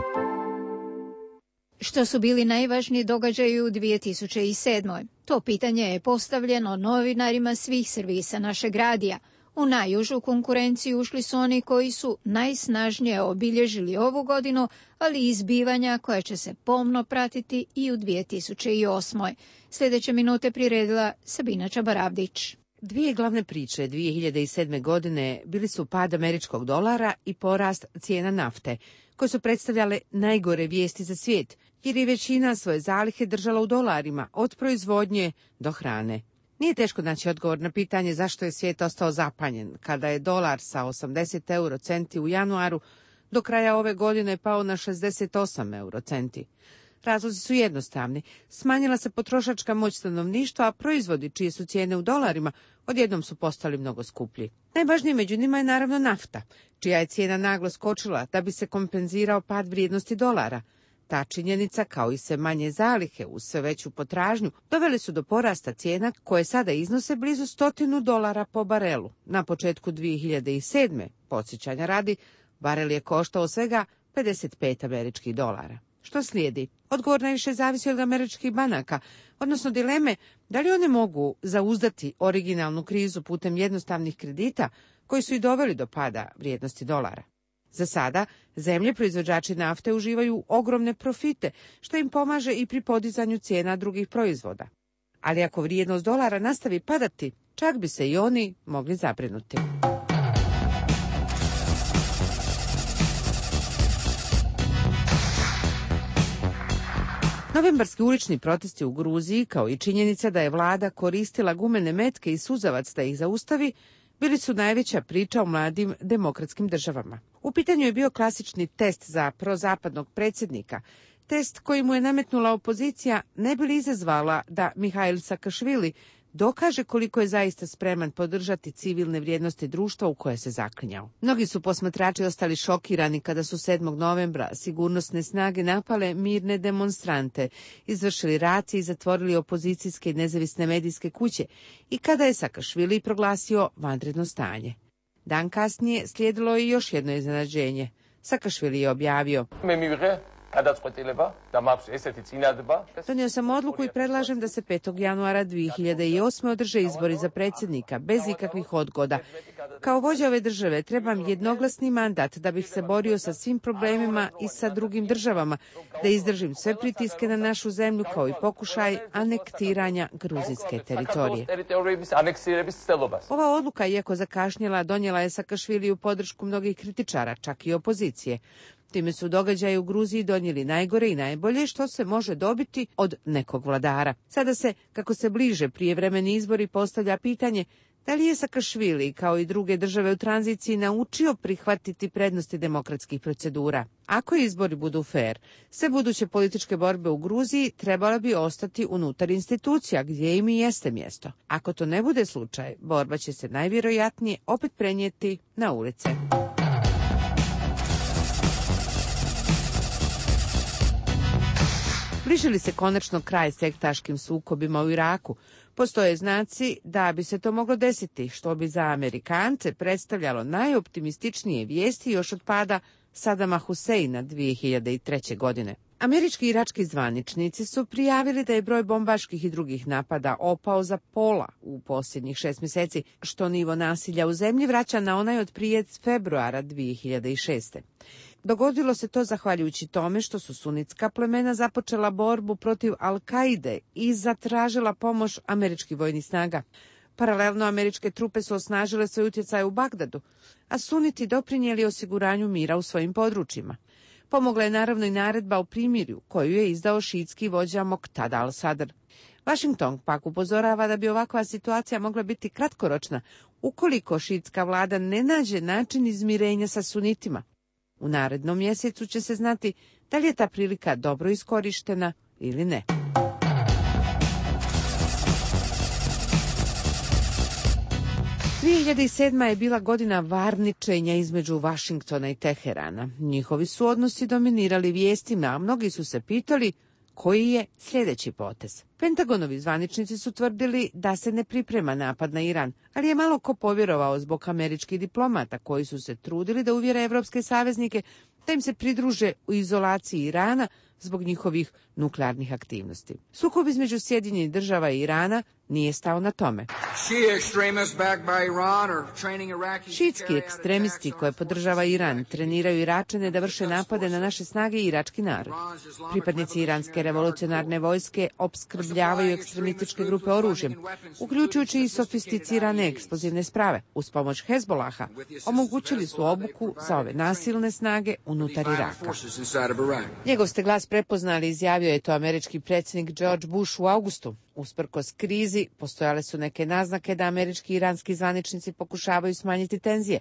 Što su bili najvažniji događaji u 2007. To pitanje je postavljeno novinarima svih servisa našeg radija. U najužu konkurenciju ušli su oni koji su najsnažnije obilježili ovu godinu, ali i zbivanja koja će se pomno pratiti i u 2008. Sljedeće minute priredila Sabina Čabaravdić. Dvije glavne priče 2007. godine bili su pad američkog dolara i porast cijena nafte, koje su predstavljale najgore vijesti za svijet, jer je većina svoje zalihe držala u dolarima, od proizvodnje do hrane. Nije teško naći odgovor na pitanje zašto je svijet ostao zapanjen, kada je dolar sa 80 eurocenti u januaru do kraja ove godine pao na 68 eurocenti. Razlozi su jednostavni. Smanjila se potrošačka moć stanovništva, a proizvodi čije su cijene u dolarima odjednom su postali mnogo skuplji. Najvažnije među njima je naravno nafta, čija je cijena naglo skočila da bi se kompenzirao pad vrijednosti dolara. Ta činjenica, kao i sve manje zalihe uz sve veću potražnju, doveli su do porasta cijena koje sada iznose blizu $100 po barelu. Na početku 2007. podsjećanja radi, barel je koštao svega 55 američkih dolara. Što slijedi? Odgovor najviše zavisi od američkih banaka, odnosno dileme da li one mogu zauzdati originalnu krizu putem jednostavnih kredita koji su i doveli do pada vrijednosti dolara. Za sada, zemlje proizvođači nafte uživaju ogromne profite, što im pomaže i pri podizanju cijena drugih proizvoda. Ali ako vrijednost dolara nastavi padati, čak bi se i oni mogli zabrinuti. Novembarski ulični protesti u Gruziji, kao i činjenica da je vlada koristila gumene metke i suzavac da ih zaustavi, bili su najveća priča o mladim demokratskim državama. U pitanju je bio klasični test za prozapadnog predsjednika, test koji mu je nametnula opozicija ne bi li izazvala da Mihail Sakašvili dokaže koliko je zaista spreman podržati civilne vrijednosti društva u koje se zaklinjao. Mnogi su posmatrači ostali šokirani kada su 7. novembra sigurnosne snage napale mirne demonstrante, izvršili racije i zatvorili opozicijske i nezavisne medijske kuće i kada je Sakašvili proglasio vanredno stanje. Dan kasnije slijedilo je još jedno iznenađenje. Sakašvili je objavio: Donio sam odluku i predlažem da se 5. januara 2008. održe izbori za predsjednika, bez ikakvih odgoda. Kao vođa ove države trebam jednoglasni mandat da bih se borio sa svim problemima i sa drugim državama, da izdržim sve pritiske na našu zemlju kao i pokušaj anektiranja gruzijske teritorije. Ova odluka, iako zakašnjela, donijela je Sakašviliju podršku mnogih kritičara, čak i opozicije. Time su događaji u Gruziji donijeli najgore i najbolje što se može dobiti od nekog vladara. Sada se, kako se bliže prijevremeni izbori, postavlja pitanje da li je Sakašvili, kao i druge države u tranziciji, naučio prihvatiti prednosti demokratskih procedura. Ako izbori budu fair, sve buduće političke borbe u Gruziji trebala bi ostati unutar institucija gdje im i jeste mjesto. Ako to ne bude slučaj, borba će se najvjerojatnije opet prenijeti na ulice. Bliži li se konačno kraj sektaškim sukobima u Iraku? Postoje znaci da bi se to moglo desiti, što bi za Amerikance predstavljalo najoptimističnije vijesti još od pada Sadama Huseina 2003. godine. Američki i irački zvaničnici su prijavili da je broj bombaških i drugih napada opao za pola u posljednjih 6 mjeseci, što nivo nasilja u zemlji vraća na onaj od prije februara 2006. Dogodilo se to zahvaljujući tome što su sunitska plemena započela borbu protiv Al-Kaide i zatražila pomoć američkih vojnih snaga. Paralelno, američke trupe su osnažile svoj utjecaj u Bagdadu, a suniti doprinijeli osiguranju mira u svojim područjima. Pomogla je naravno i naredba o primirju, koju je izdao šiitski vođa Moqtada al-Sadr. Washington pak upozorava da bi ovakva situacija mogla biti kratkoročna ukoliko šiitska vlada ne nađe način izmirenja sa sunitima. U narednom mjesecu će se znati da li je ta prilika dobro iskorištena ili ne. – 2007. je bila godina varničenja između Vašingtona i Teherana. Njihovi su odnosi dominirali vijestima, a mnogi su se pitali koji je sljedeći potez. Pentagonovi zvaničnici su tvrdili da se ne priprema napad na Iran, ali je malo ko povjerovao zbog američkih diplomata koji su se trudili da uvjere evropske saveznike da im se pridruže u izolaciji Irana zbog njihovih nuklearnih aktivnosti. Sukob između Sjedinjenih Država i Irana nije stao na tome. Šiitski ekstremisti koje podržava Iran treniraju Iračane da vrše napade na naše snage i irački narod. Pripadnici iranske revolucionarne vojske opskrbljavaju ekstremističke grupe oružjem, uključujući i sofisticirane eksplozivne sprave. Uz pomoć Hezbolaha omogućili su obuku za ove nasilne snage unutar Iraka. Njegov ste glas prepoznali, izjavio je to američki predsjednik George Bush u augustu. Usprkos krizi, postojale su neke naznake da američki i iranski zvaničnici pokušavaju smanjiti tenzije,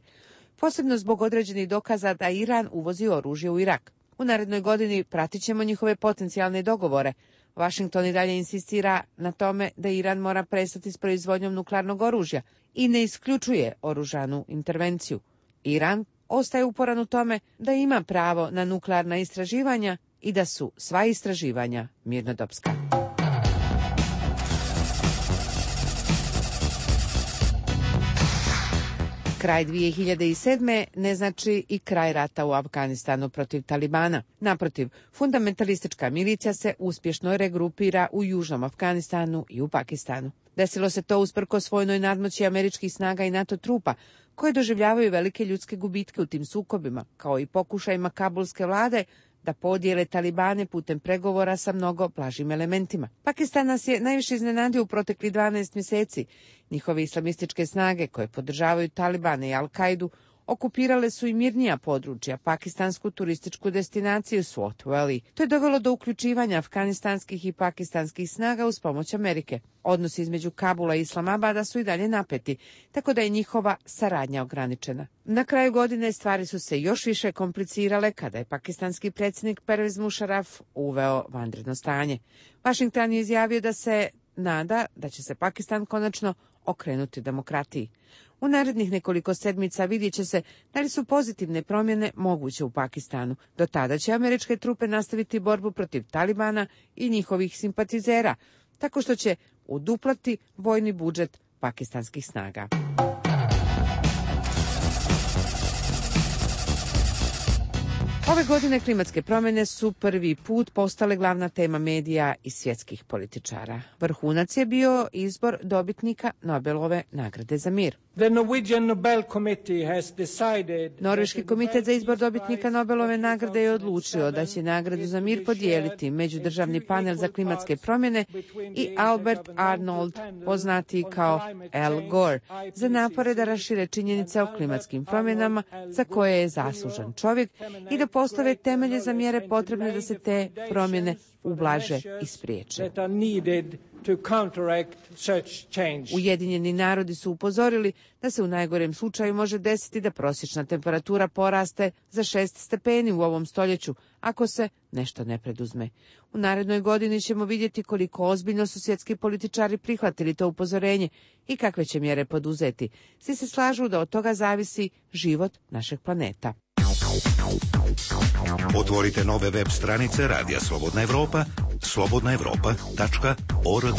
posebno zbog određenih dokaza da Iran uvozi oružje u Irak. U narednoj godini pratit ćemo njihove potencijalne dogovore. Washington i dalje insistira na tome da Iran mora prestati s proizvodnjom nuklearnog oružja i ne isključuje oružanu intervenciju. Iran ostaje uporan u tome da ima pravo na nuklearna istraživanja i da su sva istraživanja mirnodopska. Kraj 2007. ne znači i kraj rata u Afganistanu protiv Talibana. Naprotiv, fundamentalistička milicija se uspješno regrupira u južnom Afganistanu i u Pakistanu. Desilo se to usprkos vojnoj nadmoći američkih snaga i NATO trupa, koje doživljavaju velike ljudske gubitke u tim sukobima, kao i pokušajima kabulske vlade da podijele Talibane putem pregovora sa mnogo blažim elementima. Pakistan nas je najviše iznenadio u proteklih 12 mjeseci. Njihove islamističke snage koje podržavaju Talibane i Al-Kaidu okupirale su i mirnija područja, pakistansku turističku destinaciju Swat Valley. To je dovelo do uključivanja afganistanskih i pakistanskih snaga uz pomoć Amerike. Odnosi između Kabula i Islamabada su i dalje napeti, tako da je njihova saradnja ograničena. Na kraju godine stvari su se još više komplicirale kada je pakistanski predsjednik Pervez Musharraf uveo vanredno stanje. Washington je izjavio da se nada da će se Pakistan konačno okrenuti demokratiji. U narednih nekoliko sedmica vidjet će se da li su pozitivne promjene moguće u Pakistanu. Do tada će američke trupe nastaviti borbu protiv Talibana i njihovih simpatizera, tako što će uduplati vojni budžet pakistanskih snaga. Ove godine klimatske promjene su prvi put postale glavna tema medija i svjetskih političara. Vrhunac je bio izbor dobitnika Nobelove nagrade za mir. Norveški komitet za izbor dobitnika Nobelove nagrade je odlučio da će nagradu za mir podijeliti međudržavni panel za klimatske promjene i Albert Arnold, poznati kao Al Gore, za napore da rašire činjenice o klimatskim promjenama za koje je zaslužan čovjek i da postave temelje za mjere potrebne da se te promjene ublaže i spriječe. Ujedinjeni narodi su upozorili da se u najgorem slučaju može desiti da prosječna temperatura poraste za 6 stepeni u ovom stoljeću, ako se nešto ne preduzme. U narednoj godini ćemo vidjeti koliko ozbiljno su svjetski političari prihvatili to upozorenje i kakve će mjere poduzeti. Svi se slažu da od toga zavisi život našeg planeta. Otvorite nove web stranice Radija Slobodna Evropa, slobodnaevropa.org.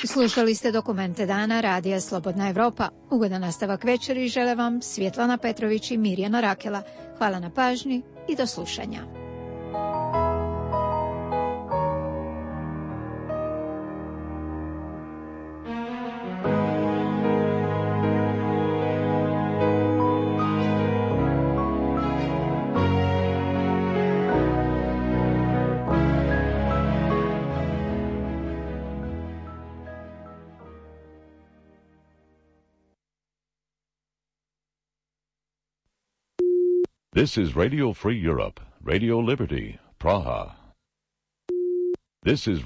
Slušali ste Dokumente dana Radija Slobodna Evropa. Ugodan nastavak večeri žele vam Svjetlana Petrović i Mirjana Rakela. Hvala na pažnji i do slušanja. This is Radio Free Europe, Radio Liberty, Praha. This is